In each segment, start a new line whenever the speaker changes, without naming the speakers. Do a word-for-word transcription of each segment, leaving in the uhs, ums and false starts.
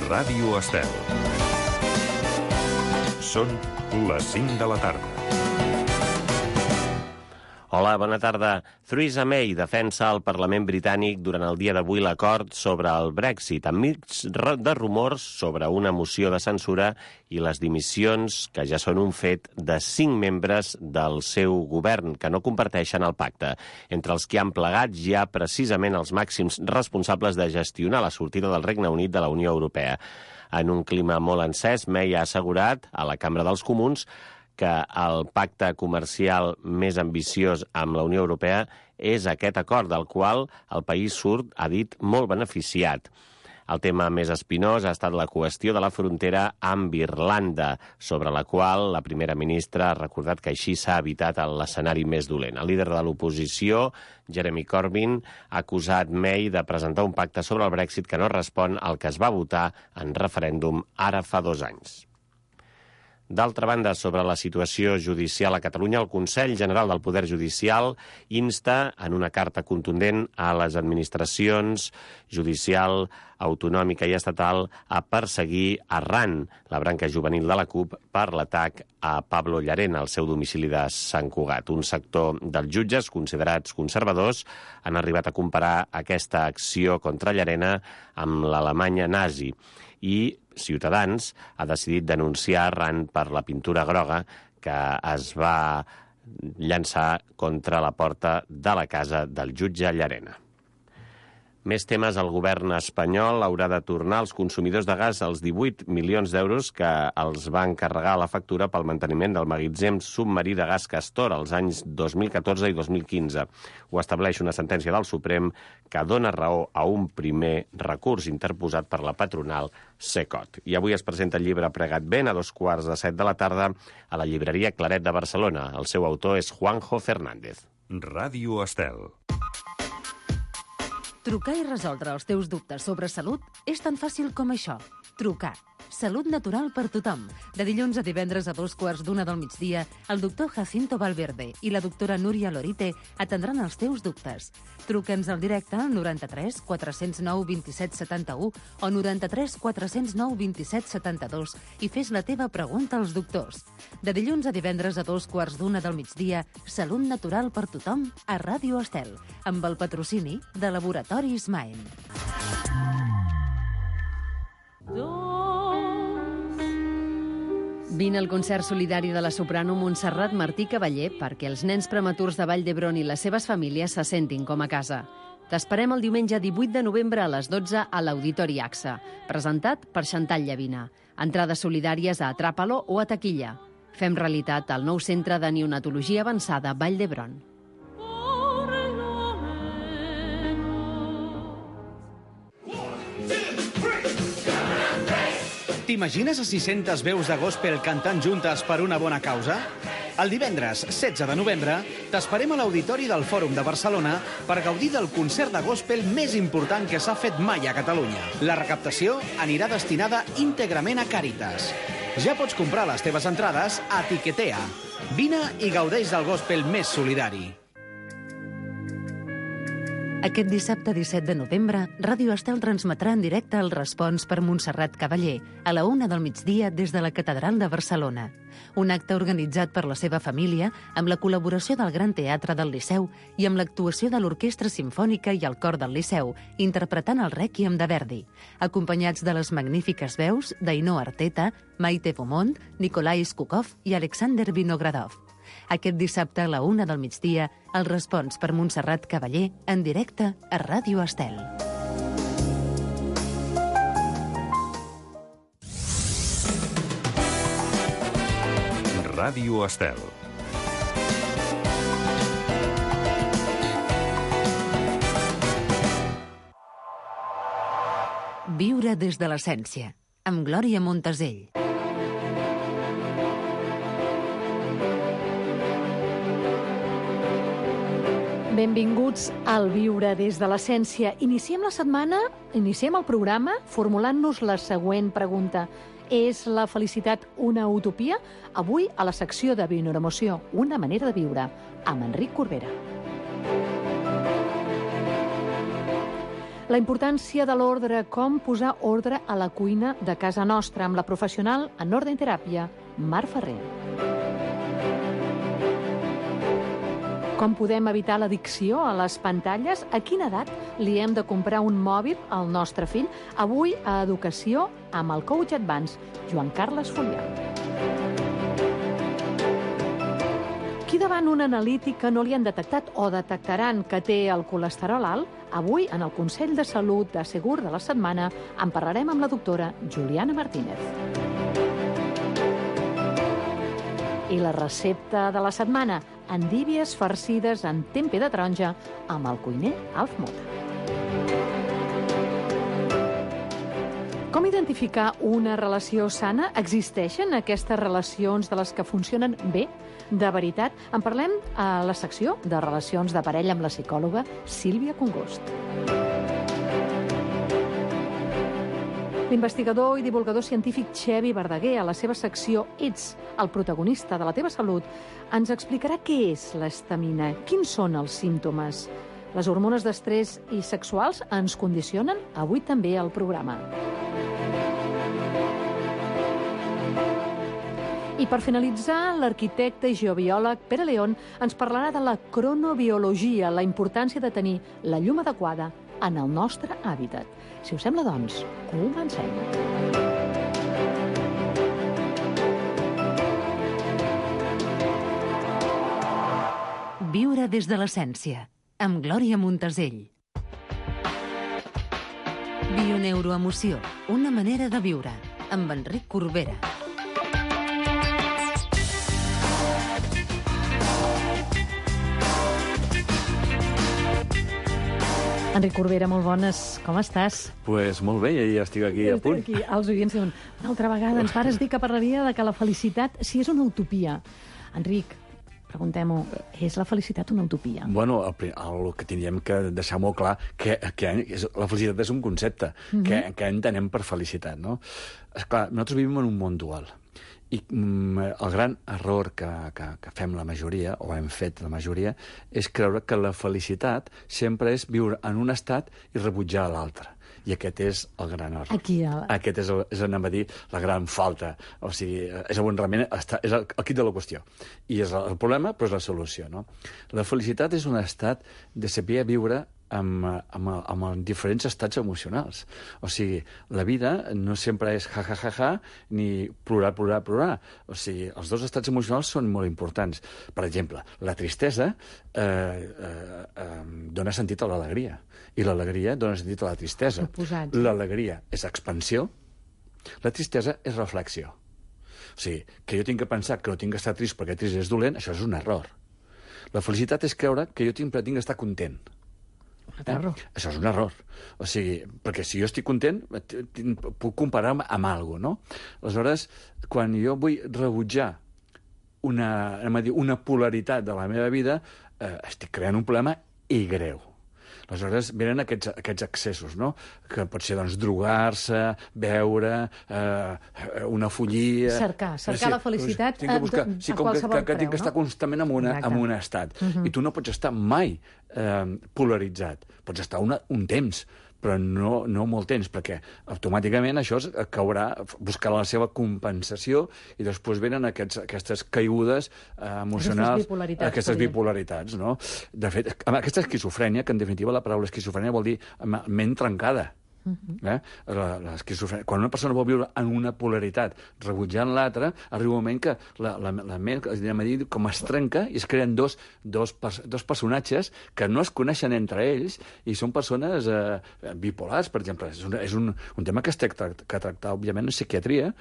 Ràdio Estel. Són les cinc de la tarda.
Hola, bona tarda. Theresa May defensa al Parlament britànic durant el dia d'avui l'acord sobre el Brexit, enmig de rumors sobre una moció de censura i les dimissions, que ja són un fet, de cinc membres del seu govern que no comparteixen el pacte. Entre els que han plegat hi ha precisament els màxims responsables de gestionar la sortida del Regne Unit de la Unió Europea. En un clima molt encès, May ha assegurat a la Cambra dels Comuns que el pacte comercial més ambiciós amb la Unió Europea és aquest acord, del qual el país surt, ha dit, molt beneficiat. El tema més espinós ha estat la qüestió de la frontera amb Irlanda, sobre la qual la primera ministra ha recordat que així s'ha evitat l'escenari més dolent. El líder de l'oposició, Jeremy Corbyn, ha acusat May de presentar un pacte sobre el Brexit que no respon al que es va votar en referèndum ara fa dos anys. D'altra banda, sobre la situació judicial a Catalunya, el Consell General del Poder Judicial insta en una carta contundent a les administracions judicial, autonòmica i estatal a perseguir Arran, la branca juvenil de la CUP, per l'atac a Pablo Llarena, al seu domicili de Sant Cugat. Un sector dels jutges, considerats conservadors, han arribat a comparar aquesta acció contra Llarena amb l'Alemanya nazi. I Ciutadans ha decidit denunciar Arran per la pintura groga que es va llançar contra la porta de la casa del jutge Llarena. Més temes, el govern espanyol haurà de tornar als consumidors de gas els divuit milions d'euros que els va encarregar la factura pel manteniment del magatzem submarí de gas Castor als anys dos mil catorze i dos mil quinze. Ho estableix una sentència del Suprem que dona raó a un primer recurs interposat per la patronal Secot. I avui es presenta el llibre Pregat Ben a dos quarts de set de la tarda a la llibreria Claret de Barcelona. El seu autor és Juanjo Fernández.
Ràdio Estel.
Trucar i resoldre els teus dubtes sobre salut és tan fàcil com això. Trucar. Salut natural per tothom. De dilluns a divendres a dos quarts d'una del migdia, el doctor Jacinto Valverde i la doctora Núria Lorite atendran els teus dubtes. Truca'ns al directe al noranta-tres quatre zero nou vint set setanta-u o noranta-tres quatre zero nou vint set setanta-dos i fes la teva pregunta als doctors. De dilluns a divendres a dos quarts d'una del migdia, Salut natural per tothom a Ràdio Estel, amb el patrocini de Laboratoris Maen. Vine al concert solidari de la soprano Montserrat Martí Cavaller perquè els nens prematurs de Vall d'Hebron i les seves famílies se sentin com a casa. T'esperem el diumenge divuit de novembre a les dotze a l'Auditori A X A, presentat per Xantal Llavina. Entrades solidàries a Atràpalo o a taquilla. Fem realitat el nou centre de neonatologia avançada Vall d'Hebron.
T'imagines a sis-centes veus de gospel cantant juntes per una bona causa? El divendres setze de novembre t'esperem a l'Auditori del Fòrum de Barcelona per gaudir del concert de gospel més important que s'ha fet mai a Catalunya. La recaptació anirà destinada íntegrament a Càritas. Ja pots comprar les teves entrades a Tiquetea. Vine i gaudeix del gospel més solidari.
Aquest dissabte disset de novembre, Ràdio Estel transmetrà en directe el Respons per Montserrat Cavaller a la una del migdia des de la Catedral de Barcelona. Un acte organitzat per la seva família amb la col·laboració del Gran Teatre del Liceu i amb l'actuació de l'Orquestra Simfònica i el Cor del Liceu, interpretant el Rèquiem de Verdi, acompanyats de les magnífiques veus d'Ainhoa Arteta, Maite Beaumont, Nikolai Skukov i Alexander Vinogradov. Aquest dissabte a la una del migdia, el Respons per Montserrat Cavaller en directe a Ràdio Estel.
Ràdio Estel.
Viure des de l'essència, amb Glòria Montesell.
Benvinguts al Viure des de l'essència. Iniciem la setmana, iniciem el programa formulant-nos la següent pregunta. És la felicitat una utopia? Avui, a la secció de Bioneuroemoció, una manera de viure, amb Enric Corbera. La importància de l'ordre, com posar ordre a la cuina de casa nostra, amb la professional en ordre i teràpia, Mar Ferrer. Com podem evitar l'addicció a les pantalles? A quina edat li hem de comprar un mòbil al nostre fill? Avui a Educació amb el coach Advance, Joan Carles Fulià. Qui davant un analític que no li han detectat o detectaran que té el colesterol alt? Avui, en el Consell de Salut de Segur de la Setmana, en parlarem amb la doctora Juliana Martínez. I la recepta de la setmana, endívies farcides en tempeh de taronja amb el cuiner Alf Mota. Com identificar una relació sana? Existeixen aquestes relacions de les que funcionen bé? De veritat? En parlem a la secció de relacions de parella amb la psicòloga Sílvia Congost. L'investigador i divulgador científic Xevi Verdaguer, a la seva secció Ets el protagonista de la teva salut, ens explicarà què és l'estamina, quins són els símptomes. Les hormones d'estrès i sexuals ens condicionen avui també al programa. I per finalitzar, l'arquitecte i geobiòleg Pere León ens parlarà de la cronobiologia, la importància de tenir la llum adequada en el nostre hàbitat. Si us sembla, doncs, comencem.
Viure des de l'essència, amb Glòria Montesell. Bioneuroemoció, una manera de viure, amb Enric Corbera.
Enric Corbera, molt bones. Com estàs?
Pues molt bé, ja estic aquí a punt.
Aquí, els oients diuen, una altra vegada ens pares dir que parlaria de que la felicitat si és una utopia. Enric, preguntem-ho, és la felicitat una utopia?
Bueno, el, el que tindríem que deixar molt clar que, que és, la felicitat és un concepte. Mm-hmm. que, que entenem per felicitat, no? Esclar, nosaltres vivim en un món dual. I mm, el gran error que, que, que fem la majoria, o hem fet la majoria, és creure que la felicitat sempre és viure en un estat i rebutjar l'altre. I aquest és el gran error.
Aquí, el...
Aquest és, el, és, anem a dir, la gran falta. O sigui, és, realment, està, és el, el quid de la qüestió. I és el problema, però és la solució, no? La felicitat és un estat de saber viure amb, amb, amb diferents estats emocionals. O sigui, la vida no sempre és ja, ja, ja, ja, ni plorar, plorar, plorar. O sigui, els dos estats emocionals són molt importants. Per exemple, la tristesa eh, eh, eh, dona sentit a l'alegria, i l'alegria dona sentit a la tristesa. L'alegria és expansió, la tristesa és reflexió. O sigui, que jo tinc que pensar que no tinc que estar trist perquè trist és dolent, això és un error. La felicitat és creure que jo tinc, tinc que estar content. Eh? Això és un error. O sigui, perquè si jo estic content, puc comparar amb, amb alguna cosa, no? Aleshores, quan jo vull rebutjar una, anem a dir, una polaritat de la meva vida, eh, estic creant un problema i greu. Aleshores, venen aquests, aquests excessos, no? Que pot ser, doncs, drogar-se, beure, eh, una follia...
Cercar, cercar sí, la felicitat
tinc que buscar,
a,
sí,
a
com
qualsevol
que, que, que
preu,
tinc que estar
no?
constantment en, una, en un estat. Uh-huh. I tu no pots estar mai eh, polaritzat. Pots estar una, un temps, però no, no molt temps, perquè automàticament això caurà, buscarà la seva compensació i després venen aquests, aquestes caigudes eh, emocionals,
aquestes bipolaritats,
aquestes bipolaritats, no? De fet, aquesta esquizofrènia, que en definitiva la paraula esquizofrènia vol dir ment trencada. Uh-huh. eh? L'esquizofrènia. Quan una persona vol viure en una polaritat rebutjant l'altra, arriba un moment que la, la, la ment, anem a dir, com es trenca i es creen dos, dos, dos personatges que no es coneixen entre ells i són persones eh, bipolars, per exemple. És, un, és un, un tema que es tracta, que tractar, òbviament, en psiquiatria,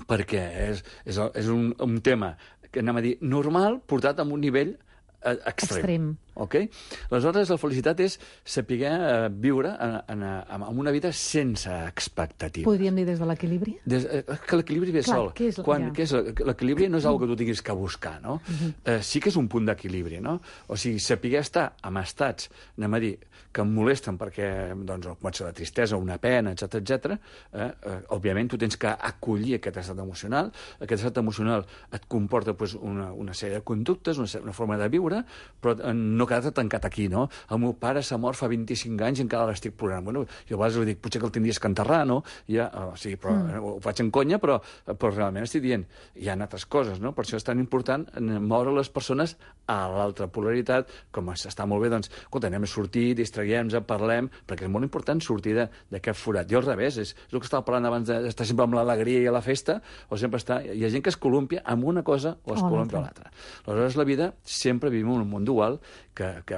perquè és, és, és un, un tema que, anem a dir, normal, portat a un nivell extrem.
extrem.
Okay? Aleshores, la felicitat és saber uh, viure en, en, en, en una vida sense expectativa.
Podríem dir des de l'equilibri?
Des, eh, que l'equilibri ve
Clar,
sol.
Què és,
Quan,
ja.
què és l'equilibri no és una cosa que tu tinguis que buscar, no? Uh-huh. eh, sí que és un punt d'equilibri, no? O sigui, saber estar en estats, anem a dir, que em molesten perquè, doncs, pot ser la tristesa, una pena, etcètera, etcètera. Eh, eh, òbviament, tu tens que acollir aquest estat emocional. Aquest estat emocional et comporta pues, una, una sèrie de conductes, una, una forma de viure, viure, però no quedar-te tancat aquí, no? El meu pare s'ha mort fa vint-i-cinc anys i encara l'estic plorant. Bueno, jo a vegades dic, potser que el tindries que enterrar, no? Ja, oh, sí, però mm. ho faig en conya, però, però realment estic dient, hi ha altres coses, no? Per això és tan important moure les persones a l'altra polaritat, com està molt bé, doncs, escolta, anem a sortir, distraguem-nos, parlem, perquè és molt important sortir d'aquest forat. Jo al revés, és, és el que estava parlant abans d'estar sempre amb l'alegria i a la festa, o sempre està... Hi ha gent que es columpia amb una cosa o es columpia amb l'altra. Aleshores, la vida sempre vivim en un món dual, que, que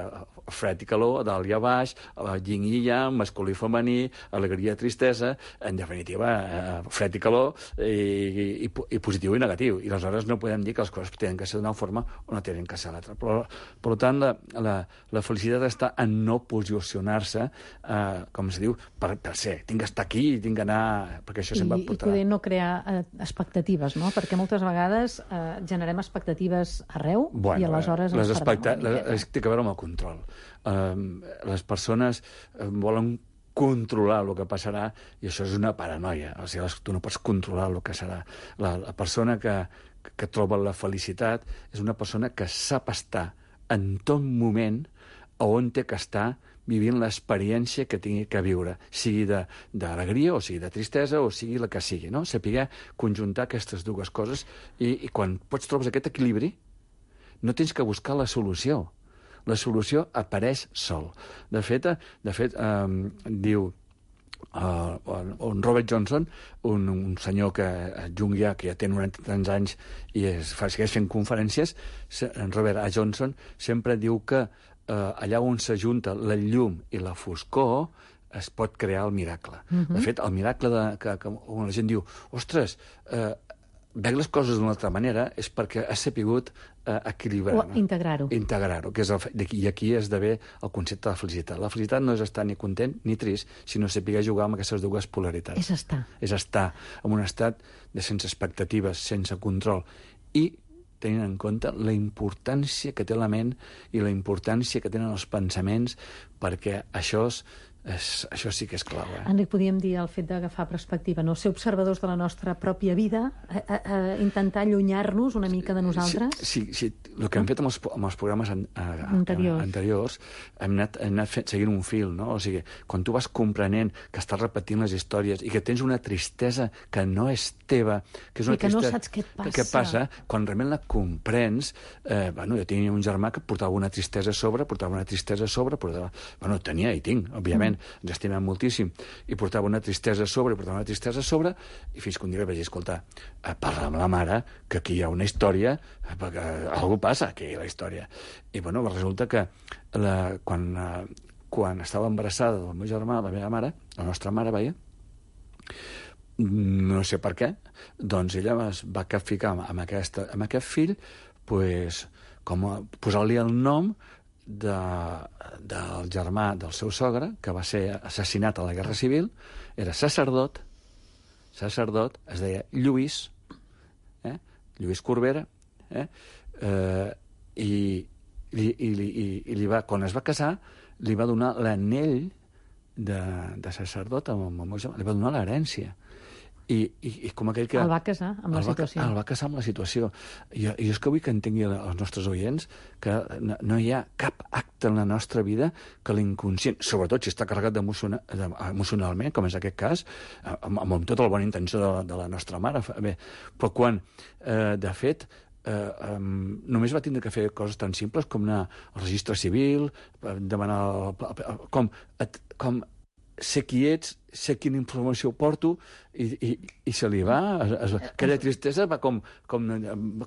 fred i calor, dalt i a baix, yin i yang, masculí i femení, alegria i tristesa, en definitiva, eh, fred i calor, i, i, i positiu i negatiu. I aleshores no podem dir que les coses tenen que ser d'una forma o no tenen que ser l'altra. Però, per tant, la, la, la felicitat està en no posicionar-se, eh, com es diu, per, per ser. Tinc que estar aquí, tinc que anar... Perquè això sempre
I,
portarà...
I poder no crear eh, expectatives, no? Perquè moltes vegades eh, generem expectatives arreu
bueno,
i aleshores
les
ens
expecta...
perdem.
Les, té que veure amb el control. Um, les persones um, volen controlar el que passarà i això és una paranoia. O sigui, tu no pots controlar el que serà. La, la persona que, que troba la felicitat és una persona que sap estar en tot moment on té que estar vivint l'experiència que tingui que viure, sigui d'alegria o sigui de tristesa o sigui la que sigui, no? Saber conjuntar aquestes dues coses i, i quan pots trobes aquest equilibri no tens que buscar la solució. La solució apareix sol. De fet, de fet eh, diu uh, un Robert Johnson, un, un senyor que junguià, que ja té noranta tants anys i es, fa, segueix fent conferències, en Robert A. Johnson sempre diu que eh, allà on s'ajunta la llum i la foscor es pot crear el miracle. Uh -huh. De fet, el miracle de, que, que on la gent diu, ostres, eh, veig les coses d'una altra manera és perquè has sapigut eh, equilibrar.
O integrar-ho.
Integrar-ho, que és el, i aquí esdevé el concepte de la felicitat. La felicitat no és estar ni content ni trist, sinó saber jugar amb aquestes dues polaritats.
És estar.
És estar en un estat de sense expectatives, sense control, i tenint en compte la importància que té la ment i la importància que tenen els pensaments, perquè això és És, això sí que és clau, eh?
Enric, podríem dir el fet d'agafar perspectiva, no? Ser observadors de la nostra pròpia vida, a, a, a intentar allunyar-nos una mica de nosaltres.
Sí, sí, sí. El que hem fet amb els, amb els programes an, a,
anteriors.
anteriors hem anat, hem anat fet, seguint un fil, no? O sigui, quan tu vas comprenent que estàs repetint les històries i que tens una tristesa que no és teva, que és una
I que no
tristesa,
saps què et passa.
Que, què passa, quan realment la comprens, eh, bueno, jo tenia un germà que portava una tristesa a sobre, portava una tristesa a sobre, portava... Bueno, tenia i tinc, òbviament, ens estimem moltíssim, i portava una tristesa a sobre, i portava una tristesa a sobre, i fins que un dia vaig dir, escolta, eh, parla amb la mare, que aquí hi ha una història, eh, perquè alguna passa aquí, la història. I, bueno, resulta que la, quan, eh, quan estava embarassada del meu germà, la meva mare, la nostra mare, veia, no sé per què, doncs ella es va ficar amb, aquesta, amb aquest fill, pues, com a posar-li el nom de, del germà del seu sogre, que va ser assassinat a la Guerra Civil, era sacerdot, sacerdot, es deia Lluís, eh? Lluís Corbera, eh? Eh, i, i, i, i, i li va, quan es va casar, li va donar l'anell de, de sacerdot amb el meu germà, li va donar l'herència. I, i, i com aquell que...
El va casar amb la situació.
Va, el va casar amb la situació. I, i és que vull que entengui els nostres oients que no, no hi ha cap acte en la nostra vida que l'inconscient, sobretot si està carregat emocionalment, com és aquest cas, amb, amb tota la bona intenció de, de la nostra mare, bé, però quan, eh, de fet, eh, um, només va tindre que fer coses tan simples com anar al registre civil, demanar... com, et, com ser qui ets, sé quina informació porto, i, i, i se li va... Es, es, aquella tristesa va com, com,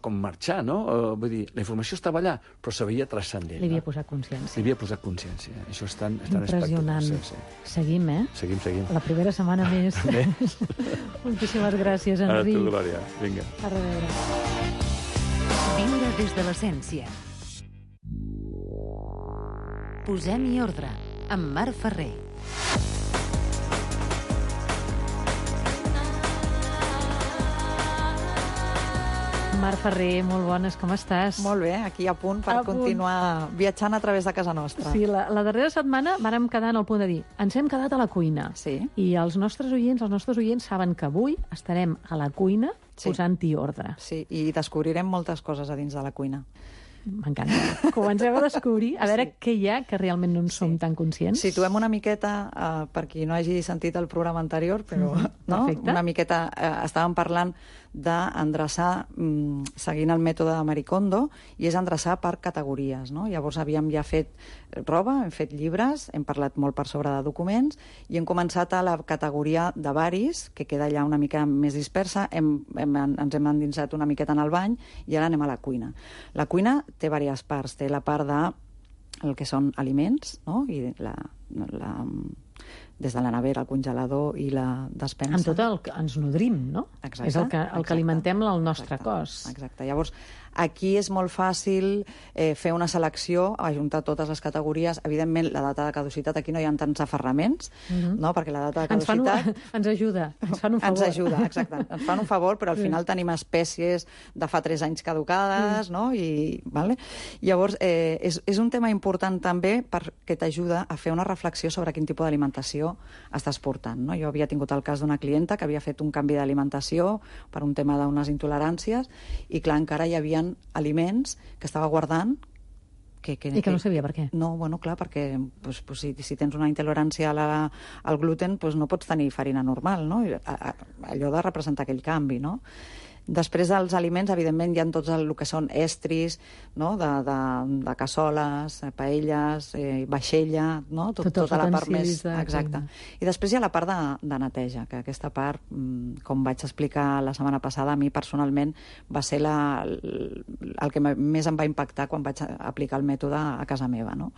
com marxar, no? Uh, vull dir, la informació estava allà, però s'havia transcendent.
Li havia
no?
posat consciència.
Li havia posat consciència. Això és tan, és tan
impressionant.
Sí, sí.
Seguim, eh?
Seguim, seguim.
La primera setmana més. Moltíssimes gràcies, Enric.
A tu, Glòria. Vinga.
A reveure.
Viure des de l'essència. Posem-hi ordre, amb Marc Ferrer.
Marc Ferrer, molt bones, com estàs?
Molt bé, aquí a punt per
a
continuar punt. viatjant a través de casa nostra.
Sí, la, la darrera setmana vàrem quedar en el punt de dir ens hem quedat a la cuina.
Sí.
I els nostres oients, els nostres oients saben que avui estarem a la cuina
sí.
posant-hi ordre.
Sí, i descobrirem moltes coses a dins de la cuina.
M'encanta. Comencem a descobrir, a veure
Sí.
què hi ha que realment no en som
Sí.
tan conscients.
Situem una miqueta, eh, per qui no hagi sentit el programa anterior, però
Mhm,
no?
perfecte.
Una miqueta eh, estàvem parlant d'endreçar mm, seguint el mètode de Marie Kondo, i és endreçar per categories, no? Llavors havíem ja fet roba, hem fet llibres, hem parlat molt per sobre de documents i hem començat a la categoria de baris, que queda ja una mica més dispersa, hem, hem, ens hem endinsat una miqueta en el bany i ara anem a la cuina. La cuina té diverses parts, té la part de el que són aliments, no? I la, la, des de la nevera, el congelador i la despensa.
Amb tot el que ens nodrim, no?
Exacte,
És el que, el
exacte.
que alimentem el nostre
Exacte,
cos.
Exacte. Llavors, aquí és molt fàcil eh, fer una selecció, ajuntar totes les categories. Evidentment, la data de caducitat, aquí no hi ha tants aferraments,
Mhm.
no? Perquè la data de
Ens, fan un,
caducitat...
ens ajuda, ens fan un favor.
Ens ajuda, exacte. Ens fan un favor, però al final tenim espècies de fa tres anys caducades, no? I, vale? Llavors, eh, és, és un tema important també perquè t'ajuda a fer una reflexió sobre quin tipus d'alimentació estàs portant, no? Jo havia tingut el cas d'una clienta que havia fet un canvi d'alimentació per un tema d'unes intoleràncies i, clar, encara hi havia aliments que estava guardant que, que,
I que no sabia per què.
No, bueno, clar, perquè pues, pues, si, si tens una intolerància a la, al gluten, pues, no pots tenir farina normal, no? A, a, allò de representar aquell canvi, no? Després dels aliments, evidentment, hi ha tots el, el que són estris, no? de, de, de cassoles, paelles, eh, vaixella, no? Tot,
Tots els
tota la part més...
utensilis de
Exacte.
cuina.
I després hi ha la part de, de neteja, que aquesta part, mm, com vaig explicar la setmana passada, a mi personalment va ser la, el que més em va impactar quan vaig aplicar el mètode a casa meva, no?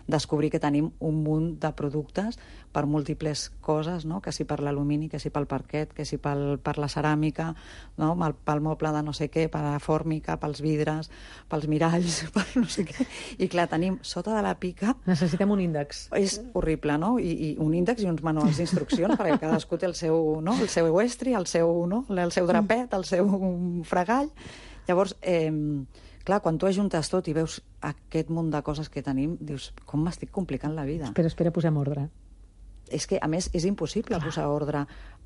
Descobrir que tenim un munt de productes per múltiples coses, no? Que si per l'alumini, que si pel parquet, que si pel, per la ceràmica, no? Pel moble de no sé què, per la fòrmica, pels vidres, pels miralls, per no sé què. I clar, tenim sota de la pica...
Necessitem un índex.
És horrible, no? I, i un índex i uns manuals d'instruccions, perquè cadascú té el seu, no? el seu estri, el seu, no? el seu drapet, el seu fregall. Llavors, eh, clar, quan tu ajuntes tot i veus aquest munt de coses que tenim, dius, com m'estic complicant la vida?
Espera, espera, posem ordre.
És que, a més, és impossible Clar. posar ordre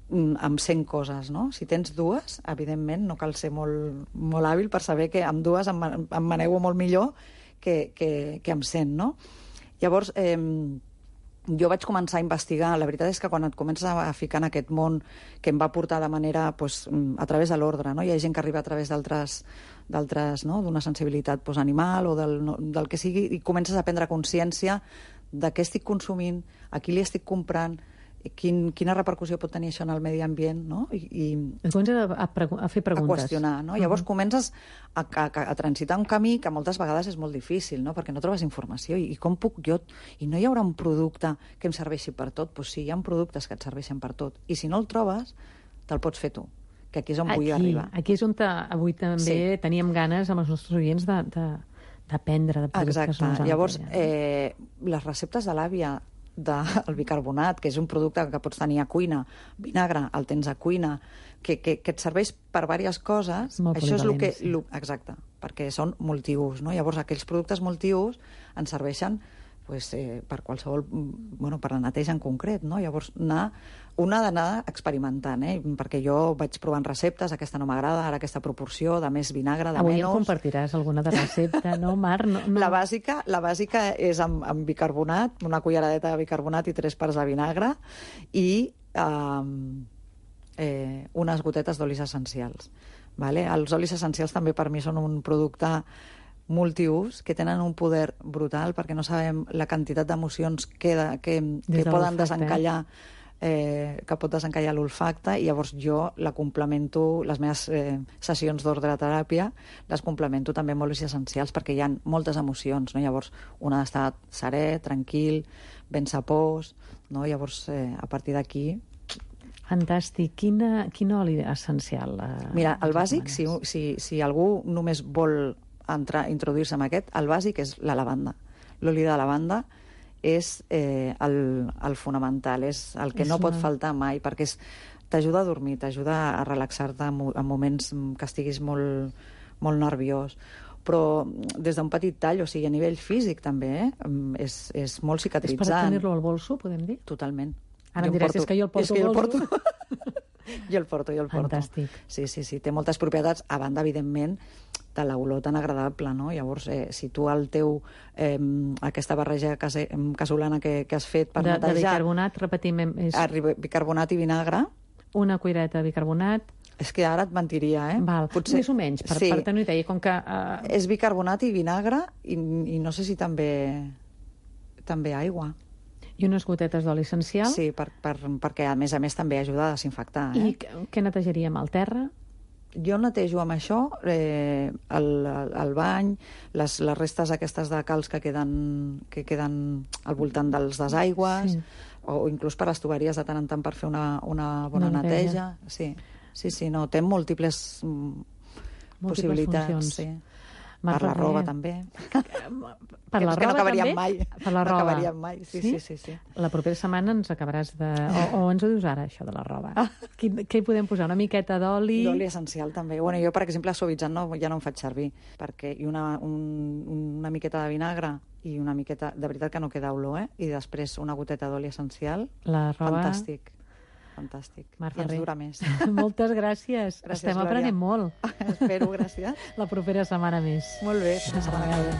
mm, amb cent coses, no? Si tens dues, evidentment, no cal ser molt, molt hàbil per saber que amb dues em, man- em manego molt millor que, que, que amb cent, no? Llavors, eh, jo vaig començar a investigar. La veritat és que quan et comences a ficar en aquest món que em va portar de manera, pues, a través de l'ordre, no? Hi ha gent que arriba a través d'altres d'altres, no? D'una sensibilitat pues, animal o del, no, del que sigui, i comences a prendre consciència de què estic consumint, a qui li estic comprant, quin, quina repercussió pot tenir això en el medi ambient, no? I, i
Et comences a, a, pregu- a fer
a
preguntes.
qüestionar, no? Llavors comences a, a, a transitar un camí que moltes vegades és molt difícil, no? Perquè no trobes informació. I, i com puc jo... I no hi haurà un producte que em serveixi per tot? Doncs sí, hi ha productes que et serveixen per tot. I si no el trobes, te'l pots fer tu, que aquí és on
Aquí,
vull arribar.
aquí és on te, avui també
Sí.
teníem ganes amb els nostres oients de, de, d'aprendre de productes
Exacte.
nosaltres.
Llavors, eh, les receptes de l'àvia del bicarbonat, que és un producte que pots tenir a cuina, vinagre, el tens a cuina, que, que, que et serveix per diverses coses,
Molt
això és el que...
polivalent, sí.
Lo, exacte, perquè són multiús, no? Llavors, aquells productes multiús ens serveixen pues, eh, per qualsevol... Bueno, per la neteja en concret, no? Llavors, anar, una ha d'anar experimentant, eh? Perquè jo vaig provant receptes, aquesta no m'agrada, ara aquesta proporció, de més vinagre, de
Avui
menys...
em compartiràs alguna de recepta, no, Mar? No, no.
La bàsica, la bàsica és amb, amb bicarbonat, una culleradeta de bicarbonat i tres parts de vinagre i um, eh, unes gotetes d'olis essencials. Vale? Els olis essencials també per mi són un producte multiús que tenen un poder brutal perquè no sabem la quantitat d'emocions que, de, que,
Des
que
de
poden
l'olfacte,
desencallar eh, que pot desencallar l'olfacte, i llavors jo la complemento, les meves eh, sessions d'ordre teràpia les complemento també amb olis essencials perquè hi ha moltes emocions, no? Llavors una ha d'estar serè, tranquil, ben sapós, no? Llavors eh, a partir d'aquí...
Fantàstic. Quina, quin oli essencial? Eh,
Mira, el
ens
bàsic, si,
recomanes?
si, si algú només vol entrar, introduir-se en aquest, el bàsic és la lavanda. L'oli de lavanda és eh, el, el fonamental, és el que
És
no pot
una-
faltar mai, perquè és, t'ajuda a dormir, t'ajuda a relaxar-te en, mo- en moments que estiguis molt, molt nerviós. Però des d'un petit tall, o sigui, a nivell físic també, eh? és, és molt
És per
cicatritzant.
tenir-lo al bolso, podem dir?
Totalment.
Ara
Jo
em
em
diràs, és que jo el porto
és que jo el
al bolso.
porto. jo el porto, jo el porto.
Fantàstic.
Sí, sí, sí, té moltes propietats, a banda, evidentment, de l'olor tan agradable, no? Llavors, eh, si tu el teu, eh, aquesta barreja case, casolana que, que has fet per
de,
netejar...
De bicarbonat, repetim, és...
Bicarbonat i vinagre.
Una cuireta de bicarbonat.
És que ara et mentiria, eh?
Val, Potser... més o menys, per, sí. per tenir una idea, com que... Uh...
És bicarbonat i vinagre, i, i no sé si també, també aigua.
I unes gotetes d'oli essencial.
Sí, per, per, perquè a més a més també ajuda a desinfectar. Eh?
I què netejaríem? El terra?
Jo netejo amb això eh, el, el bany, les, les restes aquestes de calç que queden, que queden al voltant dels desaigües, sí. o inclús per les tuberies de tant en tant per fer una, una bona una neteja. Sí, sí, sí, no, té múltiples, múltiples possibilitats. Funcions. Sí. Per la roba, també.
Per la roba,
que no acabaríem
també?
mai.
Per la roba.
No acabaríem mai, sí, sí, sí, sí.
La propera setmana ens acabaràs de... O, o ens ho dius ara, això de la roba. Quin, què hi podem posar? Una miqueta d'oli?
D'oli essencial, també. Bueno, jo, per exemple, suavitzant no, ja no em faig servir, perquè i una, un, una miqueta de vinagre i una miqueta... De veritat que no queda olor, eh? I després una goteta d'oli essencial.
La roba...
Fantàstic. Fantàstic.
Mar
I ens dura més.
Moltes gràcies. gràcies Estem Glòria. Aprenent molt.
Espero, gràcies.
La propera setmana més.
Molt bé, la setmana que ve.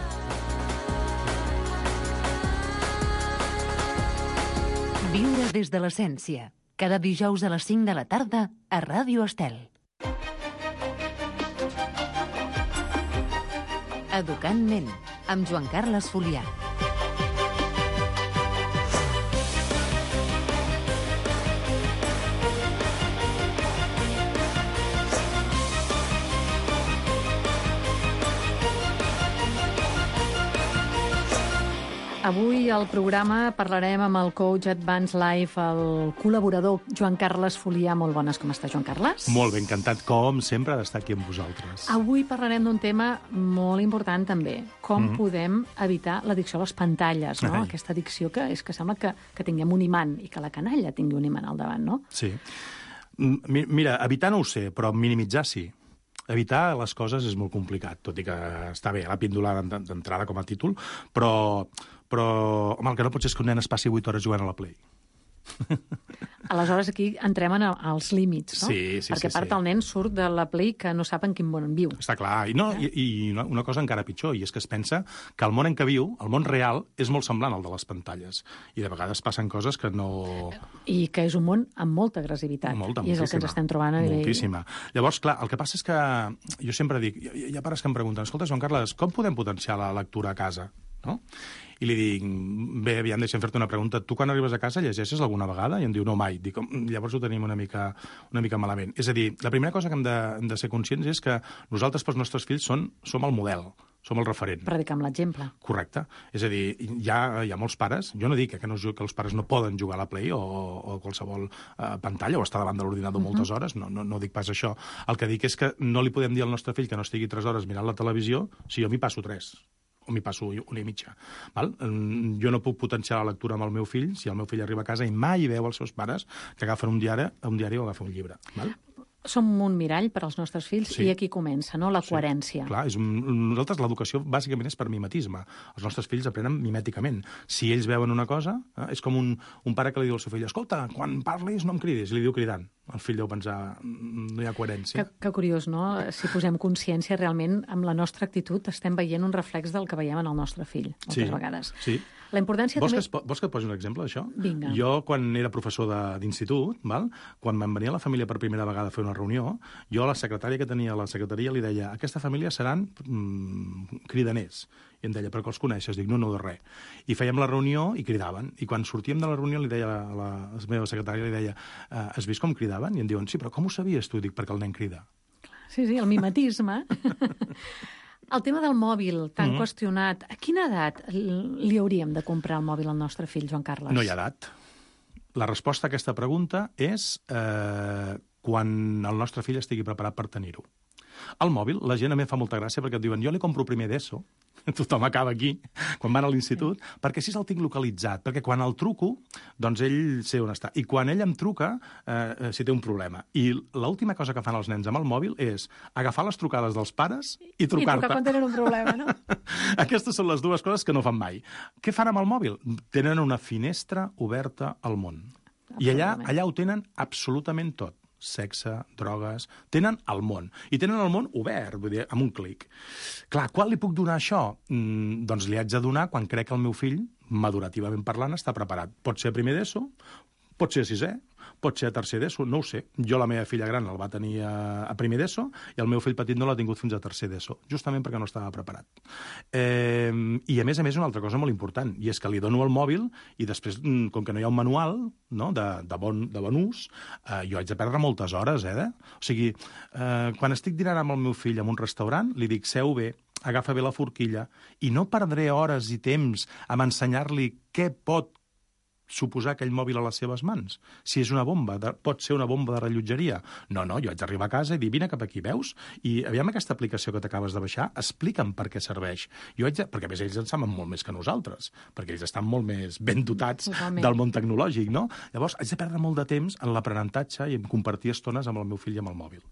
Viure des de l'essència. Cada dijous a les cinc de la tarda a Ràdio Estel. Educant ment, amb Joan Carles Folià.
Avui al programa parlarem amb el coach Advanced Life, el col·laborador Joan Carles Folià. Molt bones, com està, Joan Carles?
Molt ben, encantat, com sempre, d'estar aquí amb vosaltres.
Avui parlarem d'un tema molt important, també. Com mm-hmm. podem evitar l'addicció a les pantalles, no? Ai. Aquesta addicció que és que sembla que, que tinguem un imant i que la canalla tingui un imant al davant, no?
Sí. Mira, evitar no ho sé, però minimitzar sí. Evitar les coses és molt complicat, tot i que està bé la píndola d'entrada com a títol, però, però home, el que no pot ser és que un nen es passi vuit hores jugant a la Play.
Aleshores aquí entrem en els límits, no?
Sí, sí,
perquè
sí,
a part
sí.
el nen surt de la Play que no sap en quin món viu.
Està clar, i, no, i, i una cosa encara pitjor, i és que es pensa que el món en què viu, el món real, és molt semblant al de les pantalles, i de vegades passen coses que no...
I que és un món amb molta agressivitat,
molta,
i és el que ens estem trobant a nivell...
Moltíssima. Llavors, clar, el que passa és que jo sempre dic, hi ha pares que em pregunten, escolta, Joan Carles, com podem potenciar la lectura a casa? No? I li dic, bé, aviam, deixa'm fer-te una pregunta. Tu quan arribes a casa llegeixes alguna vegada? I em diu, no, mai. Dic, llavors ho tenim una mica, una mica malament. És a dir, la primera cosa que hem de, hem de ser conscients és que nosaltres pels nostres fills són, som el model, som el referent.
Predicar amb l'exemple.
Correcte. És a dir, hi ha, hi ha molts pares, jo no dic que, no, que els pares no poden jugar a la Play o, o qualsevol uh, pantalla o estar davant de l'ordinador uh-huh. moltes hores, no, no, no dic pas això. El que dic és que no li podem dir al nostre fill que no estigui tres hores mirant la televisió si jo m'hi passo tres. O m'hi passo una i mitja. Val? Jo no puc potenciar la lectura amb el meu fill si el meu fill arriba a casa i mai veu els seus pares que agafen un diari, un diari o agafen un llibre. Val?
Som un mirall per als nostres fills sí. i aquí comença, no?, la sí. coherència.
Clar, és un, nosaltres l'educació bàsicament és per mimetisme. Els nostres fills aprenen mimèticament. Si ells veuen una cosa, eh, és com un, un pare que li diu al seu fill, escolta, quan parlis no em cridis, i li diu cridant. El fill deu pensar, no hi ha coherència.
Que, que curiós, no?, si posem consciència realment amb la nostra actitud estem veient un reflex del que veiem en el nostre fill, moltes
sí.
vegades.
Sí.
La importància
vols
també...
Que es, vols que et posi un exemple d'això?
Vinga.
Jo, quan era professor d'institut, quan me'n venia la família per primera vegada a fer una reunió, jo a la secretària que tenia a la secretaria li deia, aquesta família seran mm, cridaners. I em deia, però que els coneixes? Dic, no, no, de res. I fèiem la reunió i cridaven. I quan sortíem de la reunió li deia a la, a la meva secretària, li deia, has vist com cridaven? I em diuen, sí, però com ho sabies tu? Dic, perquè el nen crida.
Sí, sí, el mimetisme. El tema del mòbil, tan mm-hmm. qüestionat, a quina edat li hauríem de comprar el mòbil al nostre fill, Joan Carles?
No hi ha edat. La resposta a aquesta pregunta és eh, quan el nostre fill estigui preparat per tenir-ho. El mòbil, la gent a mi fa molta gràcia perquè et diuen, jo li compro primer d'ESO, tothom acaba aquí, quan van a l'institut, sí. perquè així el tinc localitzat, perquè quan el truco, doncs ell sé on està. I quan ell em truca, eh, si té un problema. I l'última cosa que fan els nens amb el mòbil és agafar les trucades dels pares i trucar-te.
I trucar quan tenen un problema, no?
Aquestes són les dues coses que no fan mai. Què fan amb el mòbil? Tenen una finestra oberta al món. I allà, allà ho tenen absolutament tot. sexe, drogues... Tenen el món. I tenen el món obert, vull dir, amb un clic. Clar, quan li puc donar això? Mm, doncs li haig de donar quan crec que el meu fill, madurativament parlant, està preparat. Pot ser a primer d'ESO, pot ser a sisè, pot ser a tercer d'ESO, no ho sé. Jo la meva filla gran el va tenir a, a primer d'ESO i el meu fill petit no l'ha tingut fins a tercer d'ESO, justament perquè no estava preparat. Eh, I a més a més una altra cosa molt important, i és que li dono el mòbil i després, com que no hi ha un manual, no, de, de, bon, de bon ús, eh, jo haig de perdre moltes hores, eh? O sigui, eh, quan estic dinant amb el meu fill en un restaurant, li dic, seu bé, agafa bé la forquilla, i no perdré hores i temps a ensenyar-li què pot suposar aquell mòbil a les seves mans. Si és una bomba, de, pot ser una bomba de rellotgeria. No, no, jo haig d'arribar a casa i dir, vine cap aquí, veus? I aviam aquesta aplicació que t'acabes de baixar, explica'm per què serveix. Jo haig de, perquè a més ells en saben molt més que nosaltres, perquè ells estan molt més ben dotats Totalment. Del món tecnològic, no? Llavors, haig de perdre molt de temps en l'aprenentatge i en compartir estones amb el meu fill i amb el mòbil.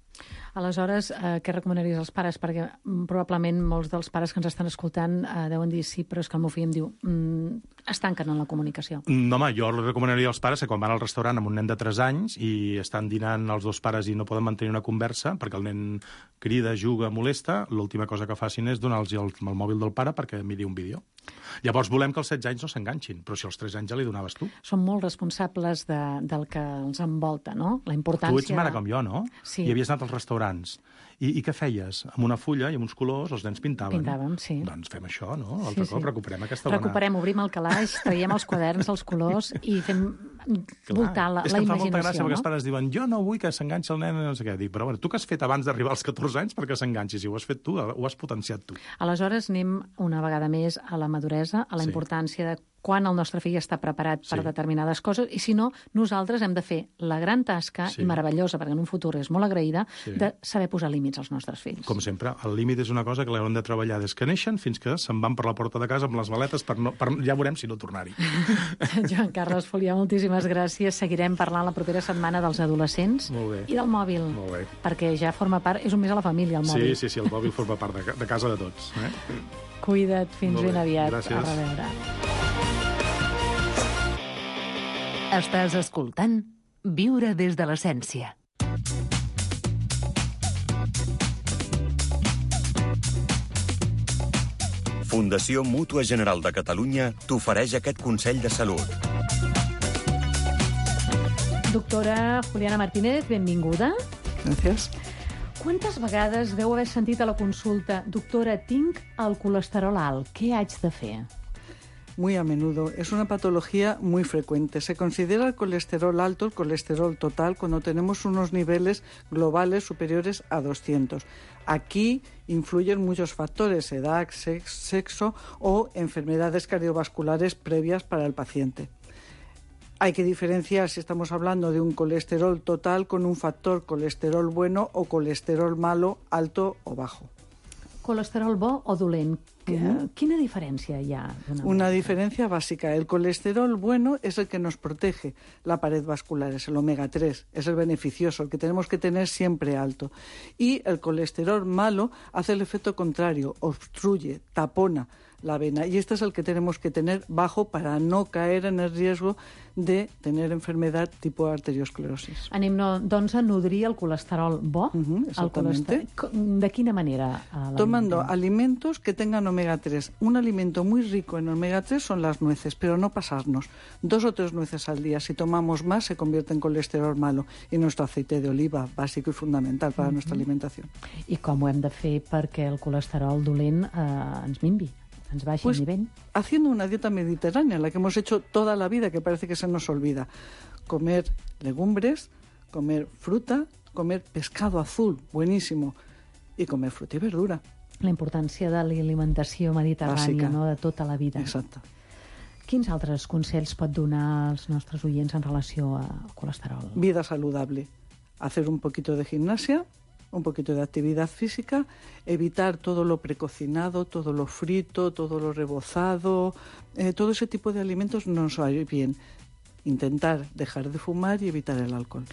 Aleshores, eh, què recomanaries als pares? Perquè mm, probablement molts dels pares que ens estan escoltant eh, deuen dir sí, però és que el meu fill em diu mm, es tanquen en la comunicació.
No, home, jo recomanaria als pares que quan van al restaurant amb un nen de tres anys i estan dinant els dos pares i no poden mantenir una conversa perquè el nen crida, juga, molesta, l'última cosa que facin és donar-los el, el mòbil del pare perquè miri un vídeo. Llavors volem que els setze anys no s'enganxin, però si als tres anys ja li donaves tu.
Són molt responsables de, del que els envolta, no? La importància...
Tu ets mare com jo, no?
Sí.
I havies anat als restaurants. I, I què feies? Amb una fulla i amb uns colors els nens pintaven.
Pintàvem, sí.
Doncs fem això, no? L'altre sí, cop sí. recuperem aquesta bona...
Recuperem, obrim el calaix, traiem els quaderns, els colors i fem voltar la,
és
la imaginació. És
que em fa molta gràcia
no?
perquè els pares diuen jo no vull que s'enganxi el nen, no sé què. Dic, però bueno, tu què has fet abans d'arribar als catorze anys perquè s'enganxi? Si ho has fet tu, ho has potenciat tu.
Aleshores anem una vegada més a la maduresa, a la
sí.
importància de quan el nostre fill està preparat per
sí.
determinades coses, i si no, nosaltres hem de fer la gran tasca,
sí.
i meravellosa, perquè en un futur és molt agraïda,
sí.
de saber posar límits als nostres fills.
Com sempre, el límit és una cosa que l'haurem de treballar des que neixen fins que se'n van per la porta de casa amb les maletes, per no, per, ja veurem si no tornar-hi.
Joan Carles Folià, moltíssimes gràcies. Seguirem parlant la propera setmana dels adolescents i del mòbil,
Molt bé.
perquè ja forma part, és un més a la família, el mòbil.
Sí, sí, sí, el mòbil forma part de, de casa de tots. Eh?
Cuida't, fins ben aviat.
Gràcies.
A reveure.
Estàs escoltant Viure des de l'essència.
Fundació Mútua General de Catalunya t'ofereix aquest consell de salut.
Doctora Juliana Martínez, benvinguda.
Gràcies.
Quantes vegades deu haver sentit a la consulta doctora, tinc el colesterol alt, què haig de fer?
Muy a menudo. Es una patología muy frecuente. Se considera el colesterol alto, el colesterol total, cuando tenemos unos niveles globales superiores a doscientos. Aquí influyen muchos factores, edad, sexo o enfermedades cardiovasculares previas para el paciente. Hay que diferenciar si estamos hablando de un colesterol total con un factor colesterol bueno o colesterol malo, alto o bajo.
Colesterol bo o dolent? Uh-huh. Quina diferència hi ha?
Una diferencia básica. El colesterol bueno es el que nos protege la pared vascular, es el omega tres, es el beneficioso, el que tenemos que tener siempre alto. Y el colesterol malo hace el efecto contrario, obstruye, tapona la vena, y este es el que tenemos que tener bajo para no caer en el riesgo de tener enfermedad tipo arteriosclerosis.
Anem, no, doncs, a nodrir el colesterol bo.
Uh-huh, exactamente.
El colesterol... ¿De quina manera?
Tomando alimentos que tengan omega tres. Un alimento muy rico en omega tres son las nueces, pero no pasarnos. Dos o tres nueces al día. Si tomamos más, se convierte en colesterol malo. Y nuestro aceite de oliva, básico y fundamental para uh-huh. nuestra alimentación.
I com ho hem de fer perquè el colesterol dolent eh, ens minvi? Ens baixi
pues,
el nivell.
Haciendo una dieta mediterránea, la que hemos hecho toda la vida, que parece que se nos olvida. Comer legumbres, comer fruta, comer pescado azul, buenísimo, y comer fruta y verdura.
La importància de l'alimentació mediterrània, no? De tota la vida.
Exacte.
Quins altres consells pot donar als nostres oients en relació al colesterol?
Vida saludable. Hacer un poquito de gimnasia, un poquito de actividad física, evitar todo lo precocinado, todo lo frito, todo lo rebozado, eh, todo ese tipo de alimentos no nos va a ir bien. Intentar dejar de fumar y evitar el alcohol.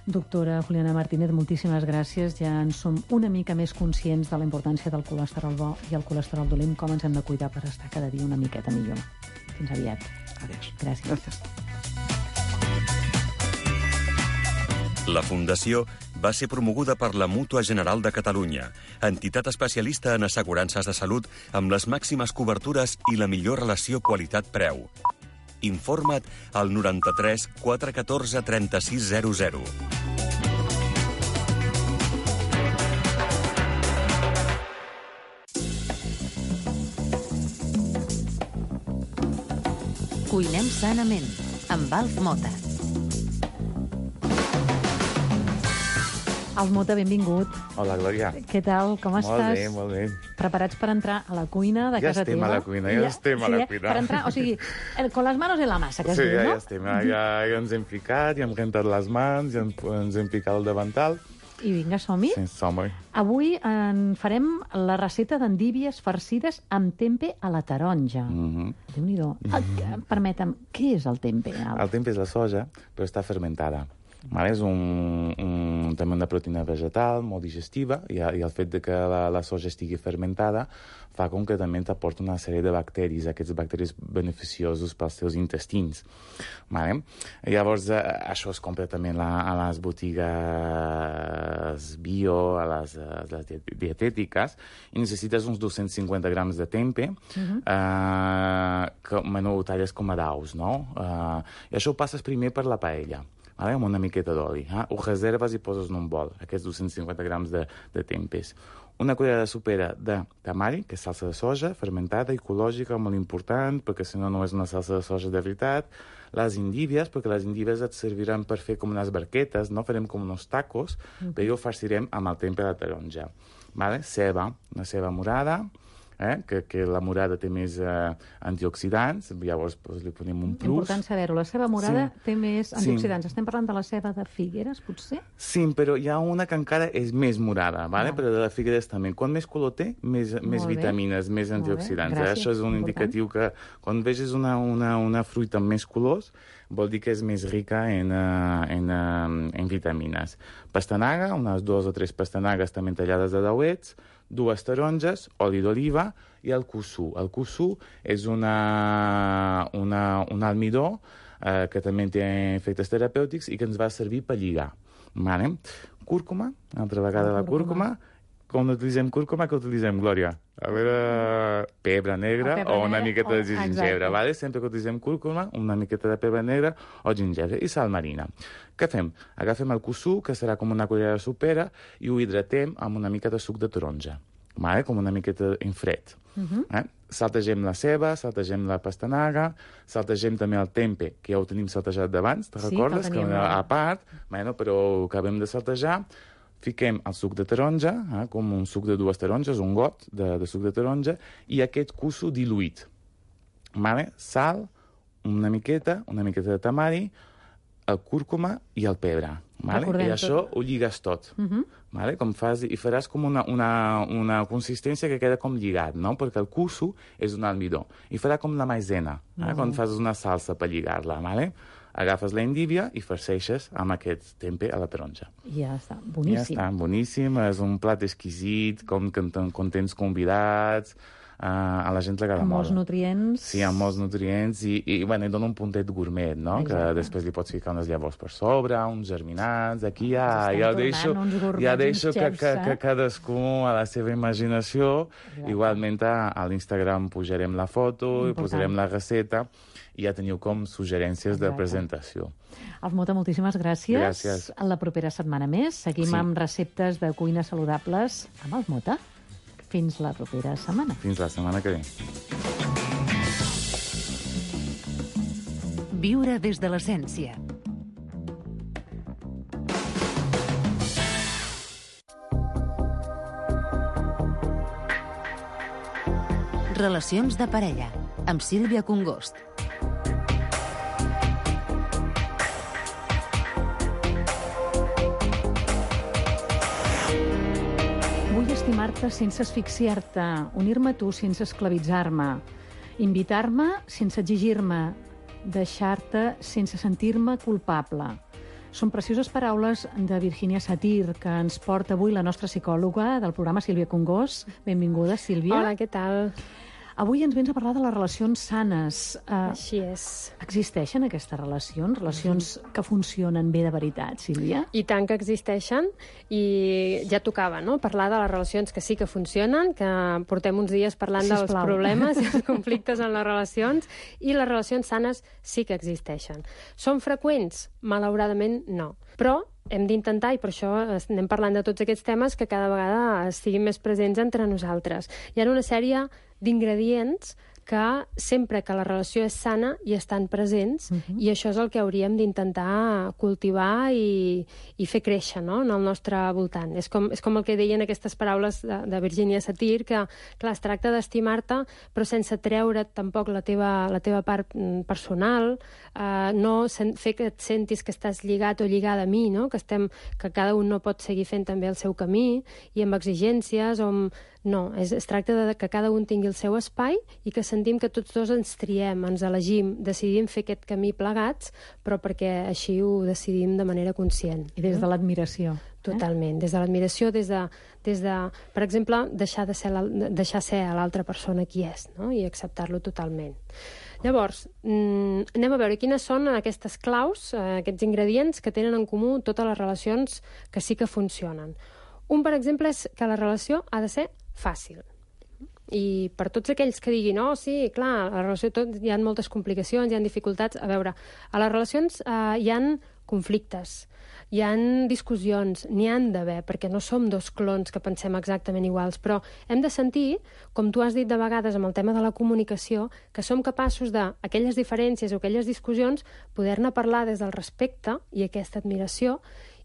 Doctora Juliana Martínez, moltíssimes gràcies. Ja en som una mica més conscients de la importància del colesterol bo i el colesterol dolent, com ens hem de cuidar per estar cada dia una miqueta millor. Fins aviat.
Adiós.
Gràcies.
Gràcies.
La Fundació va ser promoguda per la Mútua General de Catalunya, entitat especialista en assegurances de salut amb les màximes cobertures i la millor relació qualitat-preu. Informa't al noranta-tres quatre cents i catorze trenta-sis zero zero.
Cuinem sanament, amb Alf Mota.
Alf Mota, benvingut.
Hola, Glòria.
Què tal? Com estàs?
Molt bé, molt bé.
Preparats per entrar a la cuina de
ja
casa teva?
Ja estem a la cuina, ja, ja estem a
sí,
la
eh?
cuina.
Per entrar, o sigui, con les manos en la massa, que es
sí,
diu,
no? Sí,
no?
ja estem. Ja, ja ens hem ficat, ja hem rentat les mans, ja ens hem picat el davantal.
I vinga, som-hi.
Sí, som-hi.
Avui en farem la recepta d'endívies farcides amb tempe a la taronja.
Mm-hmm.
Déu-n'hi-do. Mm-hmm. Permetem, què és el tempe?
El tempe és la soja, però està fermentada. Vale? És un, un, també una proteïna vegetal molt digestiva i, i el fet de que la, la soja estigui fermentada fa com que també t'aporta una sèrie de bacteris, aquests bacteris beneficiosos pels teus intestins. Vale? Llavors, eh, això es compra també la, a les botigues bio, a les, a les dietètiques, i necessites uns dos-cents cinquanta grams de tempe, uh-huh. eh, que bueno, ho talles com a daus, no? Eh, I això ho passes primer per la paella. Vale? Amb una miqueta d'oli. Eh? Ho reserves i poses en un bol, aquests dos-cents cinquanta grams de, de tempes. Una cullerada sopera de tamari, que és salsa de soja, fermentada, ecològica, molt important, perquè si no no és una salsa de soja de veritat. Les endívies, perquè les endívies et serviran per fer com unes barquetes, no? Farem com uns tacos, mm. però ho farcirem amb el tempe de la taronja. Vale? Ceba, una ceba morada, Eh? Que, que la morada té més eh, antioxidants, llavors pues, li posem un plus.
Important saber-ho. La ceba morada sí. té més antioxidants.
Sí.
Estem parlant de la ceba de Figueres, potser?
Sí, però hi ha una que encara és més morada, vale? Ah. Però de la Figueres també. Quan més color té, més, més vitamines, més antioxidants. Eh? Això és un important. Indicatiu que quan veges una, una, una fruita amb més colors, vol dir que és més rica en, uh, en, uh, en vitamines. Pastanaga, unes dues o tres pastanagues també tallades de dauets, dues taronges, oli d'oliva i el cusú. El cusú és una, una, un almidó eh, que també té efectes terapèutics i que ens va servir per lligar. Vale? Cúrcuma, altra vegada la cúrcuma. Quan utilitzem cúrcuma, que utilitzem, Glòria? A veure, pebre negre o una miqueta de gingebre, vale? Sempre que utilitzem cúrcuma, una miqueta de pebre negre o gingebre i sal marina. Què fem? Agafem el cusú, que serà com una cullerada sopera, i ho hidratem amb una mica de suc de taronja, vale? Com una miqueta en fred. Uh-huh. eh? Saltegem la ceba, saltegem la pastanaga, saltegem també el tempe, que ja ho tenim saltejat d'abans, te sí, recordes? Que a part, bueno, però ho acabem de saltejar. Fiquem el suc de taronja, eh, com un suc de dues taronges, un got de, de suc de taronja, i aquest cusú diluït. Vale? Sal, una miqueta, una miqueta de tamari, el cúrcuma i el pebre. Vale? I això tot. Ho lligues tot. Uh-huh. Vale? Com fas, i faràs com una, una, una consistència que queda com lligat, no? Perquè el cusú és un almidó. I farà com la maizena, uh-huh. eh? Quan fas una salsa per lligar-la. Vale? Agafes la endívia i farceixes amb aquest tempe a la taronja.
Ja està, boníssim.
Ja està, boníssim. És un plat exquisit, com que tens convidats, uh, a la gent l'agrada molt.
Amb molts nutrients.
Sí, amb molts nutrients, i, i, bueno, i dona un puntet gourmet, no? Exacte. Que després li pots ficar unes llavors per sobre, uns germinats, aquí ja, ja deixo, ja deixo que, que, que, que cadascú a la seva imaginació. Exacte. Igualment a, a l'Instagram pujarem la foto, important. I posarem la receta, i ja teniu com suggerències Exacte. De presentació.
Alf Mota, moltíssimes gràcies.
Gràcies.
A la propera setmana més seguim sí. amb receptes de cuina saludables amb Alf Mota. Fins la propera setmana.
Fins la setmana que ve.
Viure des de l'essència. Relacions de parella, amb Sílvia Congost.
Vull estimar-te sense asfixiar-te, unir-me a tu sense esclavitzar-me, invitar-me sense exigir-me, deixar-te sense sentir-me culpable. Són precioses paraules de Virginia Satir, que ens porta avui la nostra psicòloga del programa, Sílvia Congost. Benvinguda, Sílvia.
Hola, què tal?
Avui ens vens a parlar de les relacions sanes. Uh,
Així és.
Existeixen aquestes relacions? Relacions que funcionen bé de veritat, Sílvia?
I tant que existeixen, i ja tocava, no?, parlar de les relacions que sí que funcionen, que portem uns dies parlant
Sisplau.
dels problemes i els conflictes en les relacions, i les relacions sanes sí que existeixen. Són freqüents? Malauradament no. Però hem d'intentar, i per això anem parlant de tots aquests temes, que cada vegada estiguin més presents entre nosaltres. Hi ha una sèrie d'ingredients que sempre que la relació és sana hi estan presents, uh-huh. i això és el que hauríem d'intentar cultivar i, i fer créixer, no?, en el nostre voltant. És com, és com el que deien aquestes paraules de, de Virginia Satir, que clar, es tracta d'estimar-te, però sense treure't tampoc la teva, la teva part personal, eh, no sen, fer que et sentis que estàs lligat o lligada a mi, no?, que, estem, que cada un no pot seguir fent també el seu camí, i amb exigències o amb... No, es, es tracta de que cada un tingui el seu espai i que sentim que tots dos ens triem, ens elegim, decidim fer aquest camí plegats, però perquè així ho decidim de manera conscient.
I des de l'admiració.
Totalment, des de l'admiració, des de, des de, per exemple, deixar, de ser la, deixar ser a l'altra persona qui és, no?, i acceptar-lo totalment. Llavors, mm, anem a veure quines són aquestes claus, eh, aquests ingredients que tenen en comú totes les relacions que sí que funcionen. Un, per exemple, és que la relació ha de ser fàcil. I per tots aquells que diguin, oh, sí, clar, a la relació tot, hi ha moltes complicacions, hi ha dificultats... A veure, a les relacions eh, hi ha conflictes, hi ha discussions, n'hi han d'haver, perquè no som dos clons que pensem exactament iguals, però hem de sentir, com tu has dit de vegades amb el tema de la comunicació, que som capaços d'aquelles diferències o aquelles discussions poder-ne parlar des del respecte i aquesta admiració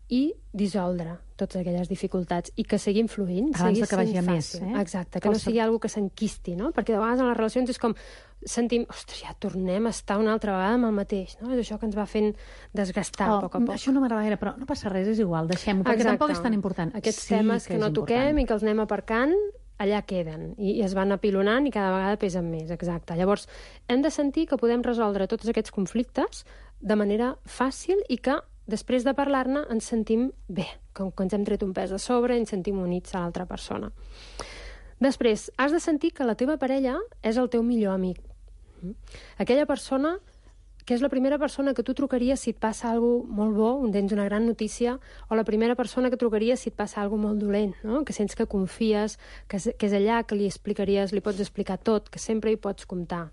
i dissoldre totes aquelles dificultats i que seguim fluint.
Abans de que vagi a més, eh?
Exacte, que no sigui alguna que s'enquisti, no? Perquè de vegades en les relacions és com sentim, ostres, ja tornem a estar una altra vegada amb el mateix, no? És això que ens va fent desgastar
oh,
a poc a poc.
Això no m'agrada gaire, però no passa res, és igual, deixem-ho, perquè
Exacte.
Tampoc és tan important.
Aquests
sí
temes que, que no
important.
toquem i que els anem aparcant, allà queden, i, i es van apilonant i cada vegada pesen més, exacte. Llavors, hem de sentir que podem resoldre tots aquests conflictes de manera fàcil i que després de parlar-ne ens sentim bé, com que ens hem tret un pes a sobre i ens sentim units a l'altra persona. Després, has de sentir que la teva parella és el teu millor amic. Aquella persona que és la primera persona que tu trucaries si et passa alguna cosa molt bo, on tens una gran notícia, o la primera persona que trucaries si et passa alguna cosa molt dolent, no? Que sents que confies, que és, que és allà que li explicaries, li pots explicar tot, que sempre hi pots comptar.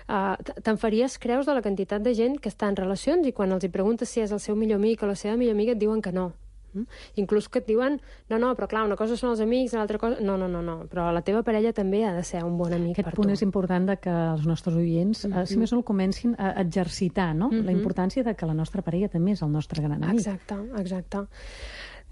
Uh, te'n faries creus de la quantitat de gent que està en relacions i quan els hi preguntes si és el seu millor amic o la seva millor amiga et diuen que no. Mm? Inclús que et diuen, no, no, però clar, una cosa són els amics, l'altra cosa... No, no, no, no, però la teva parella també ha de ser un bon amic
Aquest
per tu.
Aquest punt és important de que els nostres oients, mm-hmm. uh, si més no, el comencin a exercitar, no? Mm-hmm. La importància de que la nostra parella també és el nostre gran amic.
Exacte, exacte.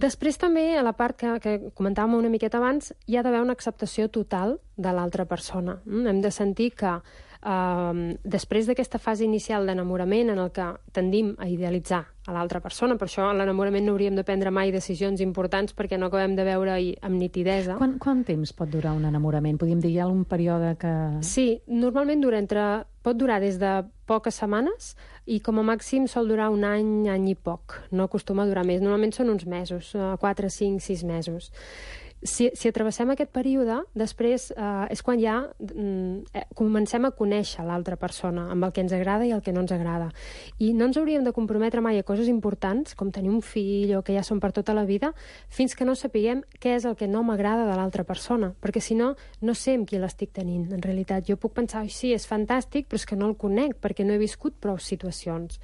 Després també, a la part que, que comentàvem una miqueta abans, hi ha d'haver una acceptació total de l'altra persona. Mm? Hem de sentir que Uh, després d'aquesta fase inicial d'enamorament en el que tendim a idealitzar a l'altra persona, per això en l'enamorament no hauríem de prendre mai decisions importants perquè no acabem de veure-hi amb nitidesa.
Quan, quant temps pot durar un enamorament? Podríem dir, hi ha algun període que...
Sí, normalment dura entre... pot durar des de poques setmanes i com a màxim sol durar un any, any i poc. No acostuma a durar més. Normalment són uns mesos, quatre, cinc, sis mesos. Si, si atravessem aquest període, després eh, és quan ja eh, comencem a conèixer l'altra persona, amb el que ens agrada i el que no ens agrada. I no ens hauríem de comprometre mai a coses importants, com tenir un fill o que ja són per tota la vida, fins que no sapiguem què és el que no m'agrada de l'altra persona, perquè si no, no sé amb qui l'estic tenint. En realitat, jo puc pensar, sí, és fantàstic, però és que no el conec, perquè no he viscut prou situacions.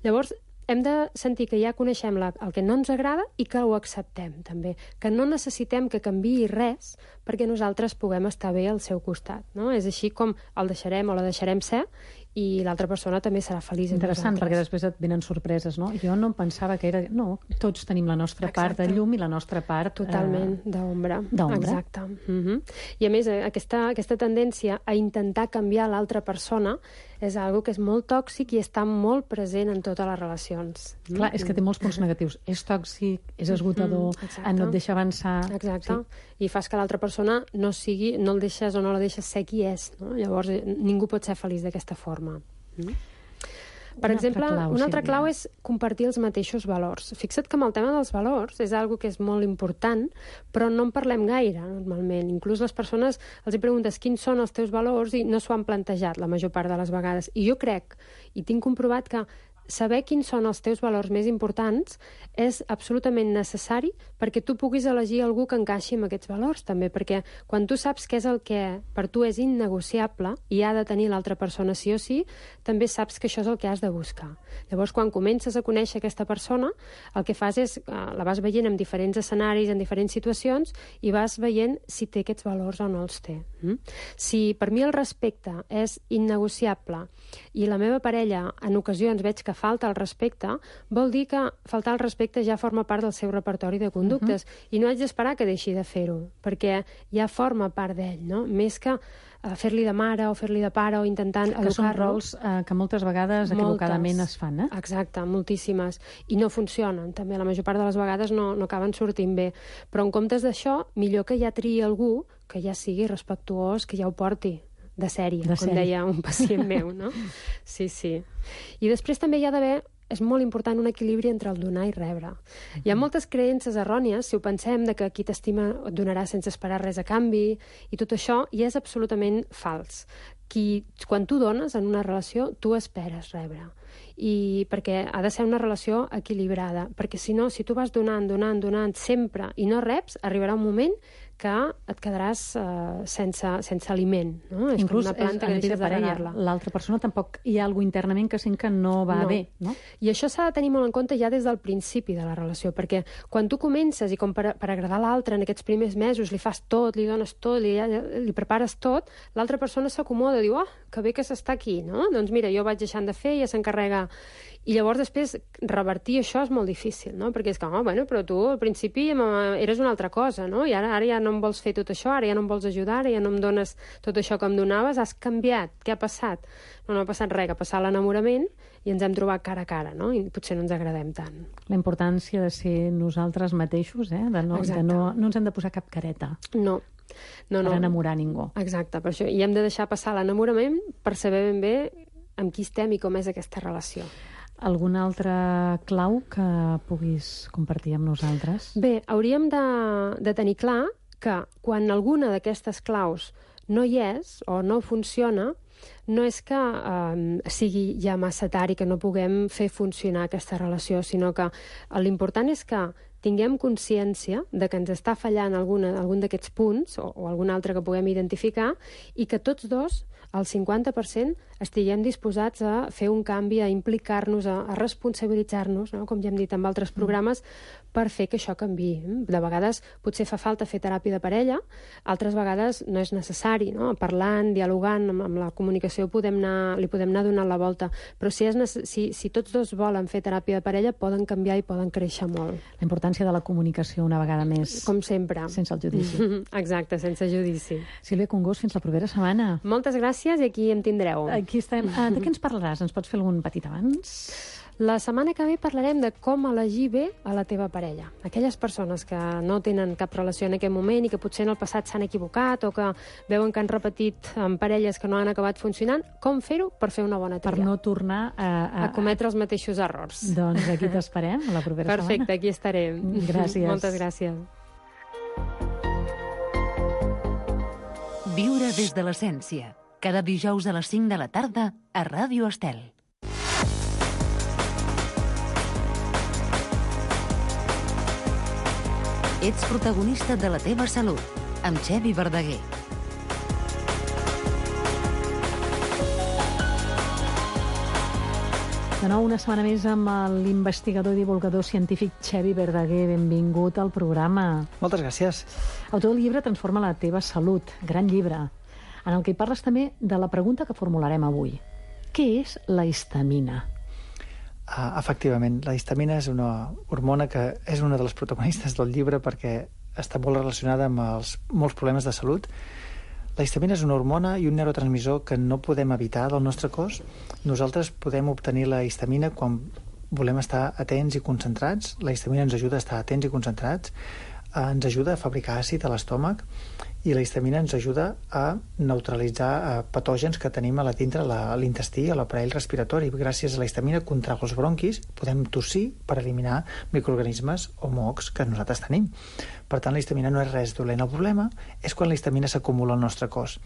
Llavors, hem de sentir que ja coneixem la, el que no ens agrada i que ho acceptem, també. Que no necessitem que canviï res perquè nosaltres puguem estar bé al seu costat, no? És així com el deixarem o la deixarem ser i l'altra persona també serà feliç.
Interessant, perquè després et venen sorpreses, no? Jo no pensava que era... No, tots tenim la nostra Exacte. part de llum i la nostra part...
Totalment, eh... d'ombra.
D'ombra.
Exacte. Uh-huh. I a més, aquesta, aquesta tendència a intentar canviar l'altra persona és algo que és molt tòxic i està molt present en totes les relacions.
Clar, és que té molts punts negatius. És tòxic, és esgotador, mm, no et deixa avançar...
Exacte.
Sí.
I fas que l'altra persona no sigui, no el deixes o no la deixes ser qui és, no? Llavors, ningú pot ser feliç d'aquesta forma. Mm? Per
una
exemple,
altra clau,
una altra
Sílvia.
clau és compartir els mateixos valors. Fixa't que amb el tema dels valors és algo que és molt important, però no en parlem gaire, normalment. Inclús les persones els hi preguntes quins són els teus valors i no s'ho han plantejat la major part de les vegades. I jo crec, i tinc comprovat que saber quins són els teus valors més importants és absolutament necessari perquè tu puguis elegir algú que encaixi amb aquests valors, també, perquè quan tu saps què és el que per tu és innegociable i ha de tenir l'altra persona sí o sí, també saps que això és el que has de buscar. Llavors, quan comences a conèixer aquesta persona, el que fas és, eh, la vas veient en diferents escenaris, en diferents situacions, i vas veient si té aquests valors o no els té. Mm? Si per mi el respecte és innegociable i la meva parella en ocasions veig que falta el respecte, vol dir que faltar el respecte ja forma part del seu repertori de conductes, uh-huh. i no haig d'esperar que deixi de fer-ho, perquè ja forma part d'ell, no? Més que uh, fer-li de mare o fer-li de pare o intentant educar-lo.
Que són rols uh, que moltes vegades moltes. equivocadament es fan, eh?
Exacte, moltíssimes. I no funcionen, també. La major part de les vegades no, no acaben sortint bé. Però en comptes d'això, millor que ja triï algú que ja sigui respectuós, que ja ho porti de sèrie,
de
com
sèrie.
deia un pacient meu, no? Sí, sí. I després també hi ha d'haver, és molt important, un equilibri entre el donar i rebre. Hi ha moltes creences errònies, si ho pensem, de que qui t'estima et donarà sense esperar res a canvi, i tot això, i és absolutament fals. Qui, quan tu dones en una relació, tu esperes rebre. I perquè ha de ser una relació equilibrada, perquè si no, si tu vas donant, donant, donant sempre i no reps, arribarà un moment que et quedaràs uh, sense, sense aliment. No? És
Inclús
com una planta
és,
que deixes de regar-la.
L'altra persona tampoc hi ha alguna internament que sent que no va
no.
bé. No?
I això s'ha de tenir molt en compte ja des del principi de la relació, perquè quan tu comences i com per, per agradar l'altre en aquests primers mesos li fas tot, li dones tot, li, li prepares tot, l'altra persona s'acomoda, diu, ah, oh, que bé que s'està aquí, no? Doncs mira, jo vaig deixant de fer, ja s'encarrega. I llavors després revertir això és molt difícil, no? Perquè és que, oh, bueno, però tu al principi eres una altra cosa, no? I ara, ara ja no em vols fer tot això, ara ja no em vols ajudar, ara ja no em dones tot això que em donaves, has canviat, què ha passat? No, no ha passat res, que ha passat l'enamorament i ens hem trobat cara a cara, no? I potser no ens agradem tant.
La importància de ser nosaltres mateixos, eh? De no, de no, no ens hem de posar cap careta.
No. No, no.
Per enamorar ningú.
Exacte, per això. I hem de deixar passar l'enamorament per saber ben bé amb qui estem i com és aquesta relació.
Alguna altra clau que puguis compartir amb nosaltres?
Bé, hauríem de, de tenir clar que quan alguna d'aquestes claus no hi és o no funciona, no és que eh, sigui ja massa tard i que no puguem fer funcionar aquesta relació, sinó que l'important és que tinguem consciència de que ens està fallant alguna, algun d'aquests punts o, o algun altre que puguem identificar i que tots dos, al cinquanta per cent, estiguem disposats a fer un canvi, a implicar-nos, a, a responsabilitzar-nos, no? Com ja hem dit en altres programes, per fer que això canviï. De vegades potser fa falta fer teràpia de parella, altres vegades no és necessari, no? Parlant, dialogant, amb, amb la comunicació podem anar, li podem anar donant la volta, però si, és, si, si tots dos volen fer teràpia de parella, poden canviar i poden créixer molt.
La importància de la comunicació una vegada més.
Com sempre.
Sense el judici.
Exacte, sense judici.
Sílvia Congost, fins la propera setmana.
Moltes gràcies i aquí em tindreu.
Aquí estem. Ah, de què ens parlaràs? Ens pots fer algun petit abans?
La setmana que ve parlarem de com elegir bé a la teva parella. Aquelles persones que no tenen cap relació en aquest moment i que potser en el passat s'han equivocat o que veuen que han repetit en parelles que no han acabat funcionant, com fer-ho per fer una bona tria?
Per no tornar a...
A, a cometre els mateixos errors.
Doncs aquí t'esperem, a la propera
Perfecte, setmana. Perfecte, aquí estarem.
Gràcies.
Moltes gràcies.
Viure des de l'essència. Cada dijous a les cinc de la tarda a Ràdio Estel. Ets protagonista de la teva salut, amb Xevi Verdaguer.
De nou, una setmana més amb l'investigador i divulgador científic Xevi Verdaguer. Benvingut al programa.
Moltes gràcies. Autor
del llibre Transforma la teva salut, gran llibre, en el que hi parles també de la pregunta que formularem avui. Què és la histamina?
Uh, efectivament, la histamina és una hormona que és una de les protagonistes del llibre perquè està molt relacionada amb els, molts problemes de salut. La histamina és una hormona i un neurotransmissor que no podem evitar del nostre cos. Nosaltres podem obtenir la histamina quan volem estar atents i concentrats. La histamina ens ajuda a estar atents i concentrats. eh, ens ajuda a fabricar àcid a l'estómac i la histamina ens ajuda a neutralitzar eh, patògens que tenim a la dintre la, l'intestí, a l'aparell respiratori. Gràcies a la histamina contrau els bronquis podem tossir per eliminar microorganismes o mocs que nosaltres tenim. Per tant, la histamina no és res dolent. El problema és quan la histamina s'acumula al nostre cos.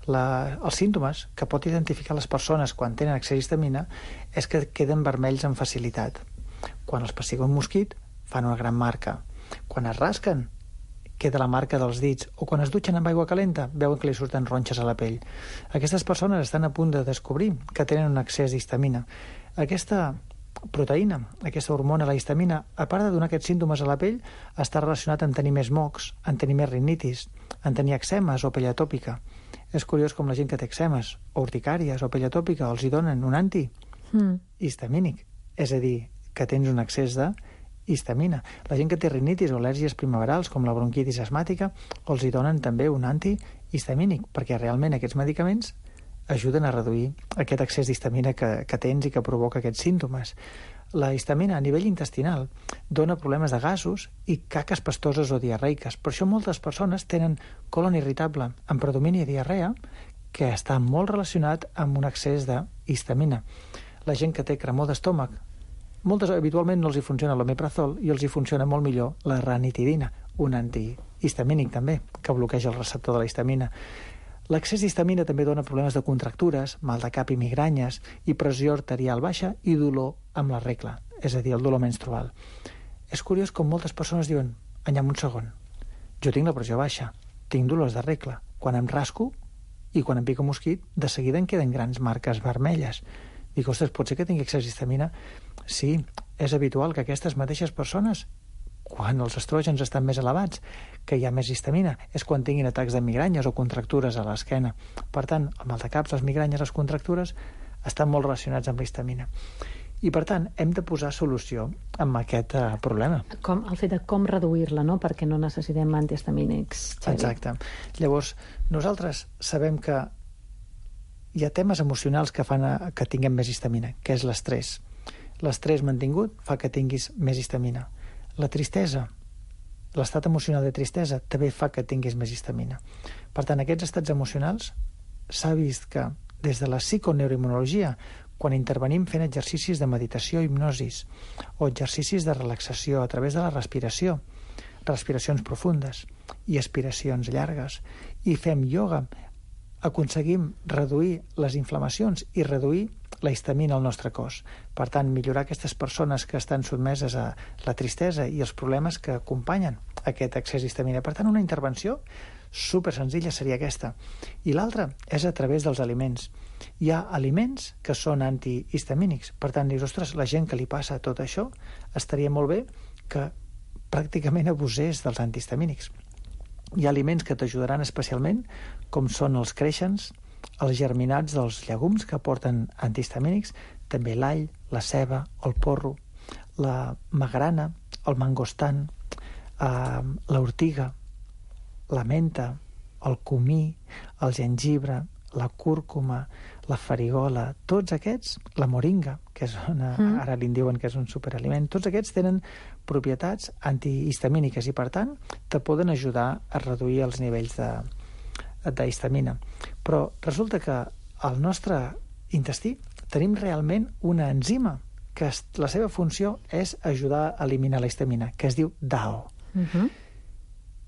La, els símptomes que pot identificar les persones quan tenen excés d'histamina és que queden vermells amb facilitat. Quan els pessiga un mosquit, fan una gran marca. Quan es rasquen, queda la marca dels dits, o quan es dutxen amb aigua calenta veuen que li surten ronxes a la pell. Aquestes persones estan a punt de descobrir que tenen un excés d'histamina. Aquesta proteïna, aquesta hormona, la histamina, a part de donar aquests símptomes a la pell, està relacionat amb tenir més mocs, en tenir més rinitis, en tenir eczemes o pell atòpica. És curiós com la gent que té eczemes o urticàries o pell atòpica els hi donen un antihistamínic, mm. és a dir, que tens un excés de histamina. La gent que té rinitis o al·lèrgies primaverals, com la bronquitis asmàtica, els hi donen també un antihistamínic, perquè realment aquests medicaments ajuden a reduir aquest excés d'histamina que, que tens i que provoca aquests símptomes. La histamina a nivell intestinal dona problemes de gasos i caques pastoses o diarreiques. Per això moltes persones tenen colon irritable amb predomini de diarrea, que està molt relacionat amb un excés d'histamina. La gent que té cremor d'estómac, moltes habitualment no els hi funciona l'omeprazol i els hi funciona molt millor la ranitidina, un antihistamínic també, que bloqueja el receptor de la histamina. L'excés d'histamina també dona problemes de contractures, mal de cap i migranyes, i pressió arterial baixa i dolor amb la regla, és a dir, el dolor menstrual. És curiós com moltes persones diuen, anyam un segon, jo tinc la pressió baixa, tinc dolors de regla, quan em rasco i quan em pica un mosquit, de seguida em queden grans marques vermelles. Dic, ostres, pot ser que tingui excés d'histamina? Sí, és habitual que aquestes mateixes persones, quan els estrògens estan més elevats, que hi ha més histamina, és quan tinguin atacs de migranyes o contractures a l'esquena. Per tant, el mal de caps, les migranyes, les contractures, estan molt relacionats amb la histamina. I, per tant, hem de posar solució amb aquest uh, problema.
Com, el fet de com reduir-la, no?, perquè no necessitem antihistamínics. Xavi. Exacte.
Llavors, nosaltres sabem que hi ha temes emocionals que fan a, que tinguem més histamina, que és l'estrès. L'estrès mantingut fa que tinguis més histamina. La tristesa, l'estat emocional de tristesa, també fa que tinguis més histamina. Per tant, aquests estats emocionals s'ha vist que des de la psiconeuroimmunologia, quan intervenim fent exercicis de meditació i hipnosis o exercicis de relaxació a través de la respiració, respiracions profundes i aspiracions llargues, i fem ioga, aconseguim reduir les inflamacions i reduir la histamina al nostre cos. Per tant, millorar aquestes persones que estan sotmeses a la tristesa i els problemes que acompanyen aquest excés d'histamina. Per tant, una intervenció super senzilla seria aquesta. I l'altra és a través dels aliments. Hi ha aliments que són antihistamínics. Per tant, dius, ostres, la gent que li passa tot això, estaria molt bé que pràcticament abusés dels antihistamínics. Hi ha aliments que t'ajudaran especialment, com són els creixens, els germinats dels llegums que porten antihistamínics, també l'all, la ceba, el porro, la magrana, el mangostan, eh, l'ortiga, la menta, el comí, el gengibre, la cúrcuma, la farigola, tots aquests, la moringa, que és una, mm. ara li diuen que és un superaliment, tots aquests tenen propietats antihistamíniques i, per tant, te poden ajudar a reduir els nivells de, d'histamina. Però resulta que al nostre intestí tenim realment una enzima que la seva funció és ajudar a eliminar la histamina, que es diu D A O. Mm-hmm.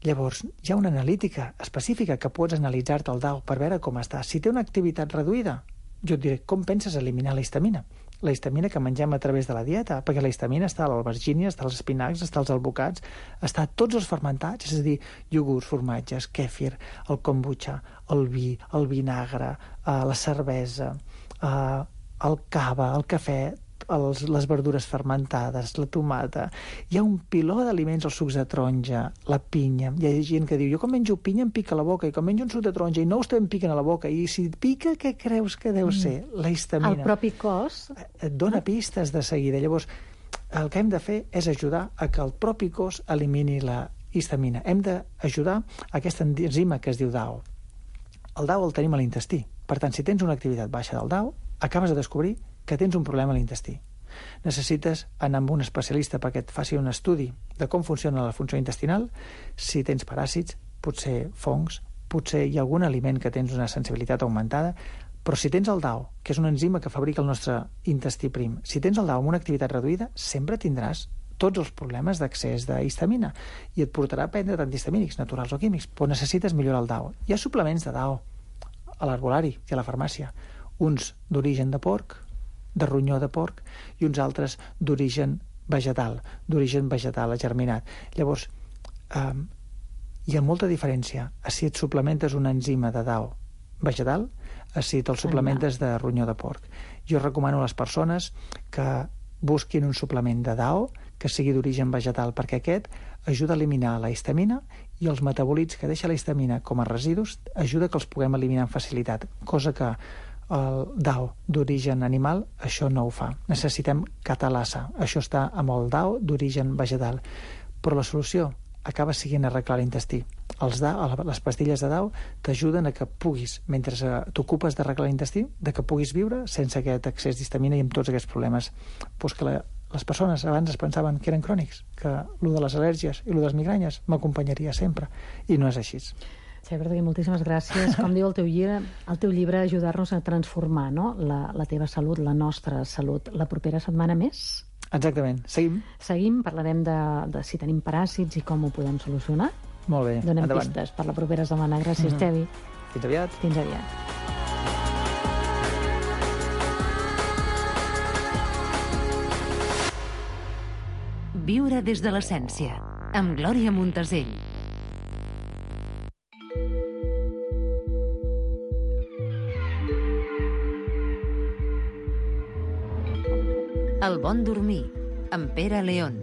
Llavors, hi ha una analítica específica que pots analitzar-te el D A O per veure com està. Si té una activitat reduïda, jo et diré, com penses eliminar la histamina? La histamina que mengem a través de la dieta, perquè la histamina està a l'albergínia, està als espinacs, està als albocats, està a tots els fermentats, és a dir, iogurts, formatges, kèfir, el kombucha, el vi, el vinagre, eh, la cervesa, eh, el cava, el cafè, els, les verdures fermentades, la tomata. Hi ha un piló d'aliments, els sucs de taronja, la pinya. Hi ha gent que diu, jo quan menjo pinya em pica la boca, i quan menjo un suc de taronja i no us em piquen a la boca, i si et pica, què creus que deu ser? La histamina.
El propi cos?
Et dona pistes de seguida. Llavors, el que hem de fer és ajudar a que el propi cos elimini la histamina. Hem d'ajudar a aquesta enzima que es diu D A O. El D A O el tenim a l'intestí. Per tant, si tens una activitat baixa del D A O, acabes de descobrir que tens un problema a l'intestí. Necessites anar amb un especialista perquè et faci un estudi de com funciona la funció intestinal, si tens paràsits, potser fongs, potser hi ha algun aliment que tens una sensibilitat augmentada, però si tens el D A O, que és una enzima que fabrica el nostre intestí prim, si tens el D A O amb una activitat reduïda, sempre tindràs tots els problemes d'accés d'histamina i et portarà a prendre antihistamínics, naturals o químics, però necessites millorar el D A O. Hi ha suplements de D A O a l'herbolari i a la farmàcia, uns d'origen de porc, de ronyó de porc, i uns altres d'origen vegetal, d'origen vegetal germinat. Llavors, eh, hi ha molta diferència a si et suplementes una enzima de D A O vegetal, a si te'l suplementes de ronyó de porc. Jo recomano a les persones que busquin un suplement de D A O que sigui d'origen vegetal, perquè aquest ajuda a eliminar la histamina i els metabòlits que deixa la histamina com a residus ajuda que els puguem eliminar amb facilitat, cosa que el D A O d'origen animal això no ho fa. Necessitem catalasa, això està amb el D A O d'origen vegetal. Però la solució acaba siguent arreglar l'intestí. Els D A O, les pastilles de D A O t'ajuden a que puguis, mentre t'ocupes d'arreglar l'intestí, de que puguis viure sense aquest excés d'histamina i amb tots aquests problemes. Pues que la, les persones abans es pensaven que eren crònics, que el de les al·lèrgies i el de les migranyes m'acompanyaria sempre, i no és així.
Xavier Verdaguer, moltíssimes gràcies. Com diu el teu llibre, el teu llibre ajudar-nos a transformar, no? la, la teva salut, la nostra salut. La propera setmana més?
Exactament. Seguim?
Seguim, parlarem de, de si tenim paràsits i com ho podem solucionar.
Molt bé,
Donem
endavant.
pistes per la propera setmana. Gràcies, mm-hmm. Xavi.
Fins aviat.
Fins aviat.
Viure des de l'essència, amb Glòria Montesell. El bon dormir, amb Pere León.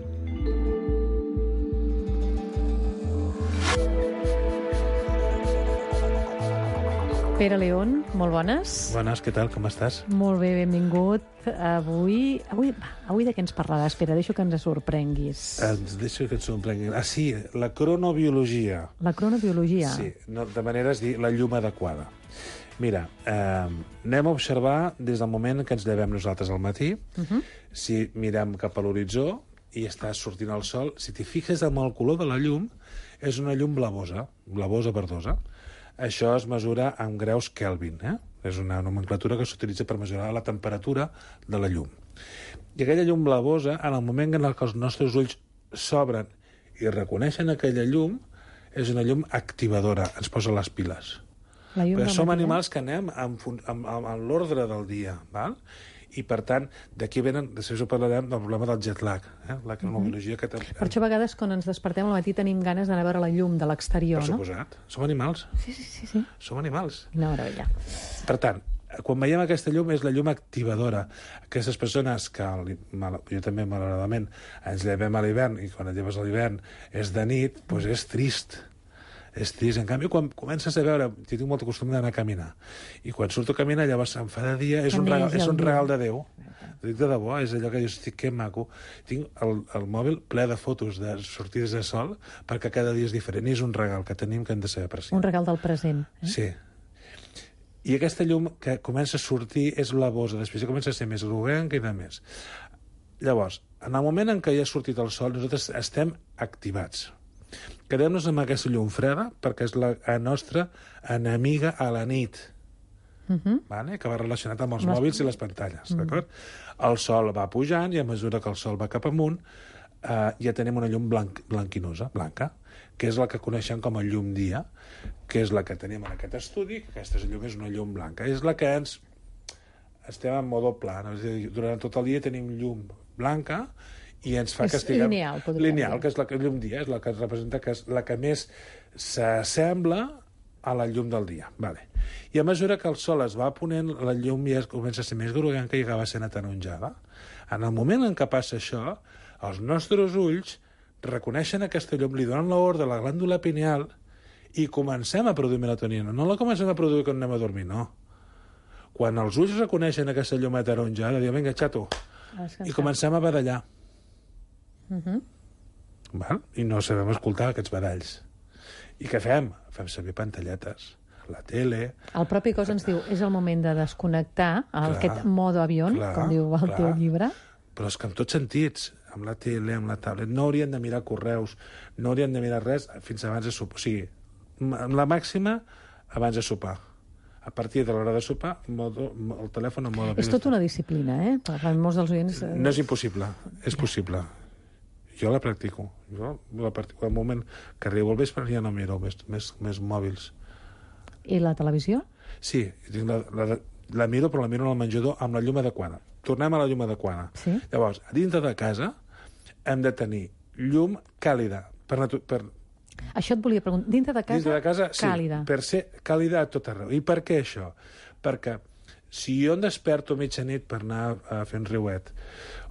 Pere León, molt bones.
Bones, què tal, com estàs?
Molt bé, benvingut. Avui, avui, avui de què ens parlaràs, Pere? Deixo que ens sorprenguis.
Ens deixo que et sorprenguin. Ah, sí, la cronobiologia.
La cronobiologia?
Sí, no, de manera es dir la llum adequada. Mira, eh, anem a observar des del moment que ens llevem nosaltres al matí, uh-huh. si mirem cap a l'horitzó i està sortint el sol, si t'hi fixes amb el color de la llum, és una llum blavosa, blavosa verdosa. Això es mesura en graus Kelvin, eh? És una nomenclatura que s'utilitza per mesurar la temperatura de la llum. I aquella llum blavosa, en el moment en què els nostres ulls s'obren i reconeixen aquella llum, és una llum activadora, ens posa les piles. Perquè som animals que anem amb, amb, amb, amb l'ordre del dia, val? I, per tant, d'aquí venen, després ho parlarem del problema del jet lag, eh? La cronobiologia que...
Per això a vegades, quan ens despertem al matí, tenim ganes d'anar a veure la llum de l'exterior, no?
Per suposat. Som animals.
Sí, sí, sí, sí.
Som animals.
Una meravella.
Per tant, quan veiem aquesta llum, és la llum activadora. Aquestes persones que, jo també, malauradament, ens llevem a l'hivern, i quan et lleves a l'hivern és de nit, doncs és trist. És trist. En canvi, quan comences a veure... Jo tinc molt costum d'anar a caminar. I quan surto a caminar, llavors em fa de dia... És un regal, és un regal de Déu. Ho dic de debò, és allò que jo estic, que maco. Tinc el, el mòbil ple de fotos de sortides de sol perquè cada dia és diferent. I és un regal que tenim que hem de saber apreciar.
Un regal del present. Eh?
Sí. I aquesta llum que comença a sortir és blavosa. Després comença a ser més groguenca i de més. Llavors, en el moment en què ja ha sortit el sol, nosaltres estem activats. Quedem-nos amb aquesta llum freda perquè és la nostra enemiga a la nit, uh-huh. vale? Que va relacionat amb els les... mòbils i les pantalles. Uh-huh. D'acord? El sol va pujant i a mesura que el sol va cap amunt eh, ja tenim una llum blanc, blanquinosa, blanca, que és la que coneixem com a llum dia, que és la que tenim en aquest estudi, que aquesta llum és una llum blanca. És la que ens... estem en modo pla, no? És a dir, durant tot el dia tenim llum blanca i ens fa
és
que estiguem...
lineal,
lineal, que és la que llum dia, és la que representa que és la que més s'assembla a la llum del dia. Vale. I a mesura que el sol es va ponent, la llum ja comença a ser més groguenca i acaba sent ataronjada. En el moment en què passa això, els nostres ulls reconeixen aquesta llum, li donen l'ordre a la glàndula pineal i comencem a produir melatonina. No la comencem a produir quan anem a dormir, no. Quan els ulls reconeixen aquesta llum ataronjada, diuen, vinga, xato, i comencem a badallar. Uh-huh. Val? I no sabem escoltar aquests badalls. I què fem? Fem servir pantalletes, la tele...
El propi cos ens diu, és el moment de desconnectar, clar, aquest modo avió, com diu el clar. teu llibre.
però és que en tots sentits, amb la tele, amb la tablet, no haurien de mirar correus, no haurien de mirar res fins abans de sopar. O sigui, amb la màxima abans de sopar. A partir de l'hora de sopar, modo, el telèfon en mode...
És tota una disciplina, eh? Per molts dels oients...
No és impossible, és possible. Jo la practico. Jo la practico. Al moment que arribo al vespre ja no miro més, més, més mòbils.
I la televisió?
Sí, la, la, la miro, però la miro al menjador amb la llum adequada. Tornem a la llum adequada.
Sí?
Llavors, a dintre de casa hem de tenir llum càlida. Per, per...
Això et volia preguntar. Dintre de casa,
dintre de casa
càlida.
Sí, per ser càlida a tot arreu. I per què això? Perquè si jo em desperto a mitjanit per anar a fer un riuet,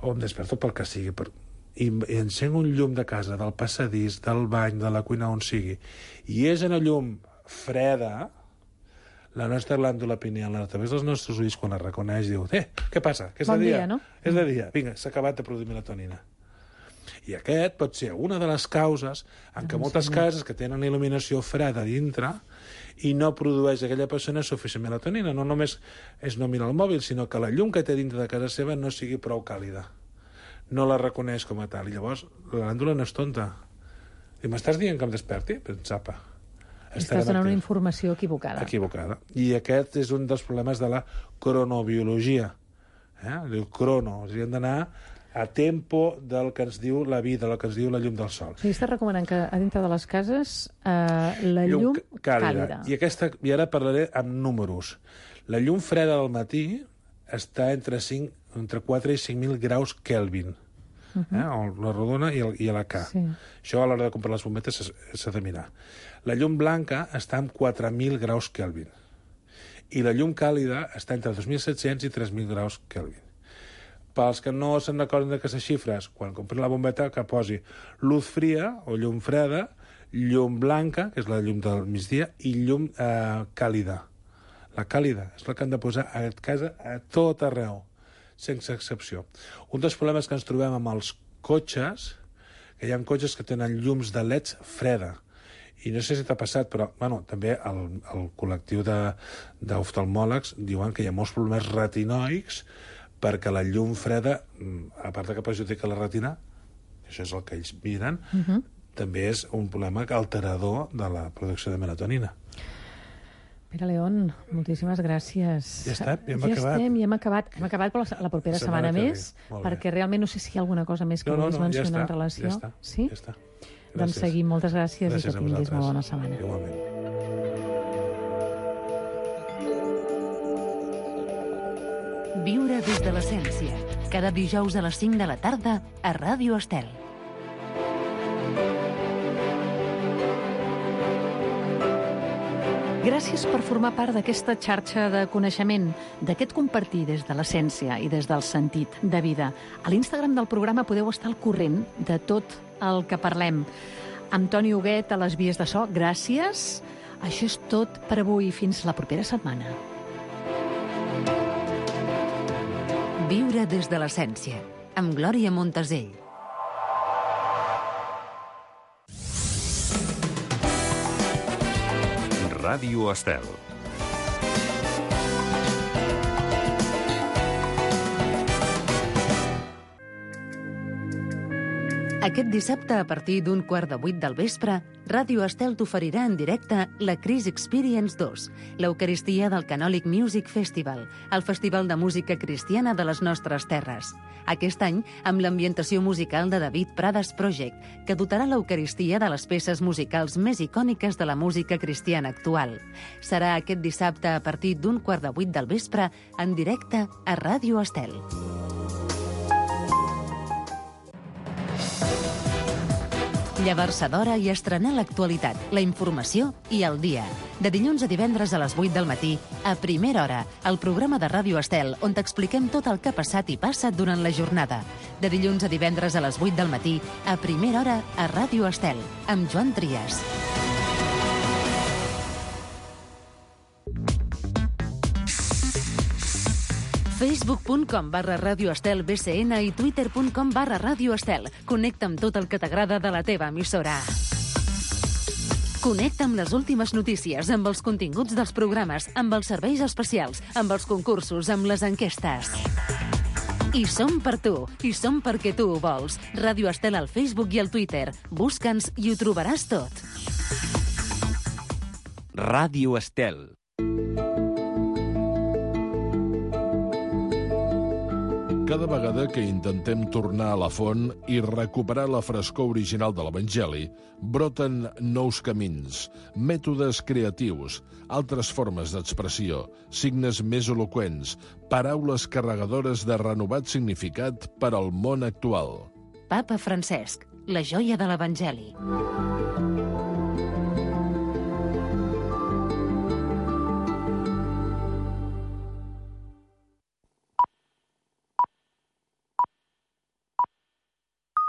o em desperto pel que sigui, per... i, i encenc un llum de casa, del passadís, del bany, de la cuina, on sigui, i és una llum freda, la nostra glàndula pineal, a través dels nostres ulls, quan la reconeix, diu, eh, què passa? Que és
bon
de dia,
dia, no?
És de dia. Vinga, s'ha acabat de produir melatonina. I aquest pot ser una de les causes en què moltes cases que tenen il·luminació freda dintre i no produeix aquella persona suficient melatonina. No només és no mirar el mòbil, sinó que la llum que té dintre de casa seva no sigui prou càlida. No la reconeix com a tal. I llavors la glàndula no és tonta. I m'estàs dient que em desperti? Pensapa.
Estàs donant una informació equivocada.
Equivocada. I aquest és un dels problemes de la cronobiologia. Eh? El crono. O sigui, hem d'anar a tempo del que ens diu la vida, del que ens diu la llum del sol.
O sigui, estàs recomanant que a dintre de les cases eh, la llum, llum càlida. càlida.
I, aquesta, I ara parlaré amb números. La llum freda del matí està entre, cinc, entre quatre i cinc mil graus Kelvin. Uh -huh. eh? La rodona i, el, i la K. Sí. Això a l'hora de comprar les bombetes s'ha de mirar. La llum blanca està en quatre mil graus Kelvin. I la llum càlida està entre dos mil set-cents i tres mil graus Kelvin. Pels que no se'n recorden d'aquestes xifres, quan compren la bombeta, que posi luz fria o llum freda, llum blanca, que és la llum del migdia, i llum eh, càlida. La càlida és la que han de posar a casa a tot arreu, sense excepció. Un dels problemes que ens trobem amb els cotxes, que hi ha cotxes que tenen llums de leds freda, i no sé si t'ha passat, però bueno, també el, el col·lectiu d'oftalmòlegs diuen que hi ha molts problemes retinoics perquè la llum freda, a part que perjudica la retina, això és el que ells miren, uh -huh. també és un problema alterador de la producció de melatonina.
Pere León, moltíssimes gràcies.
Ja està, ja hem
ja
acabat.
Estem, ja hem acabat. Hem acabat, però la, la propera setmana, setmana més, perquè realment no sé si hi ha alguna cosa més que
no, no,
vulguis
no,
mencionar
ja està,
en relació.
Ja està,
sí?
ja està.
Doncs seguim, moltes gràcies, gràcies i que tinguis molt bona setmana.
Igualment.
Viure des de l'essència. Cada dijous a les cinc de la tarda a Ràdio Estel.
Gràcies per formar part d'aquesta xarxa de coneixement, d'aquest compartir des de l'essència i des del sentit de vida. A l'Instagram del programa podeu estar al corrent de tot el que parlem. Amb Toni Huguet a les vies de so, gràcies. Això és tot per avui. Fins la propera setmana.
Viure des de l'essència, amb Glòria Montesell.
Ràdio Estel.
Aquest dissabte, a partir d'un quart de vuit del vespre, Ràdio Estel t'oferirà en directe la Chris Experience dos, l'Eucaristia del Canòlic Music Festival, el festival de música cristiana de les nostres terres. Aquest any, amb l'ambientació musical de David Prades Project, que dotarà l'Eucaristia de les peces musicals més icòniques de la música cristiana actual. Serà aquest dissabte, a partir d'un quart de vuit del vespre, en directe a Ràdio Estel. Llevar-se d'hora i estrenar l'actualitat, la informació i el dia. De dilluns a divendres a les vuit del matí, a Primera Hora, el programa de Ràdio Estel, on t'expliquem tot el que ha passat i passa durant la jornada. De dilluns a divendres a les vuit del matí, a Primera Hora, a Ràdio Estel, amb Joan Trias. facebook punt com barra Ràdio Estel B C N i twitter punt com barra Ràdio Estel. Connecta amb tot el que t'agrada de la teva emissora. Connecta amb les últimes notícies, amb els continguts dels programes, amb els serveis especials, amb els concursos, amb les enquestes. I som per tu, i som perquè tu ho vols. Ràdio Estel al Facebook i al Twitter. Busca'ns i ho trobaràs tot.
Ràdio Estel.
Cada vegada que intentem tornar a la font i recuperar la frescor original de l'Evangeli, broten nous camins, mètodes creatius, altres formes d'expressió, signes més eloqüents, paraules carregadores de renovat significat per al món actual.
Papa Francesc, la joia de l'Evangeli.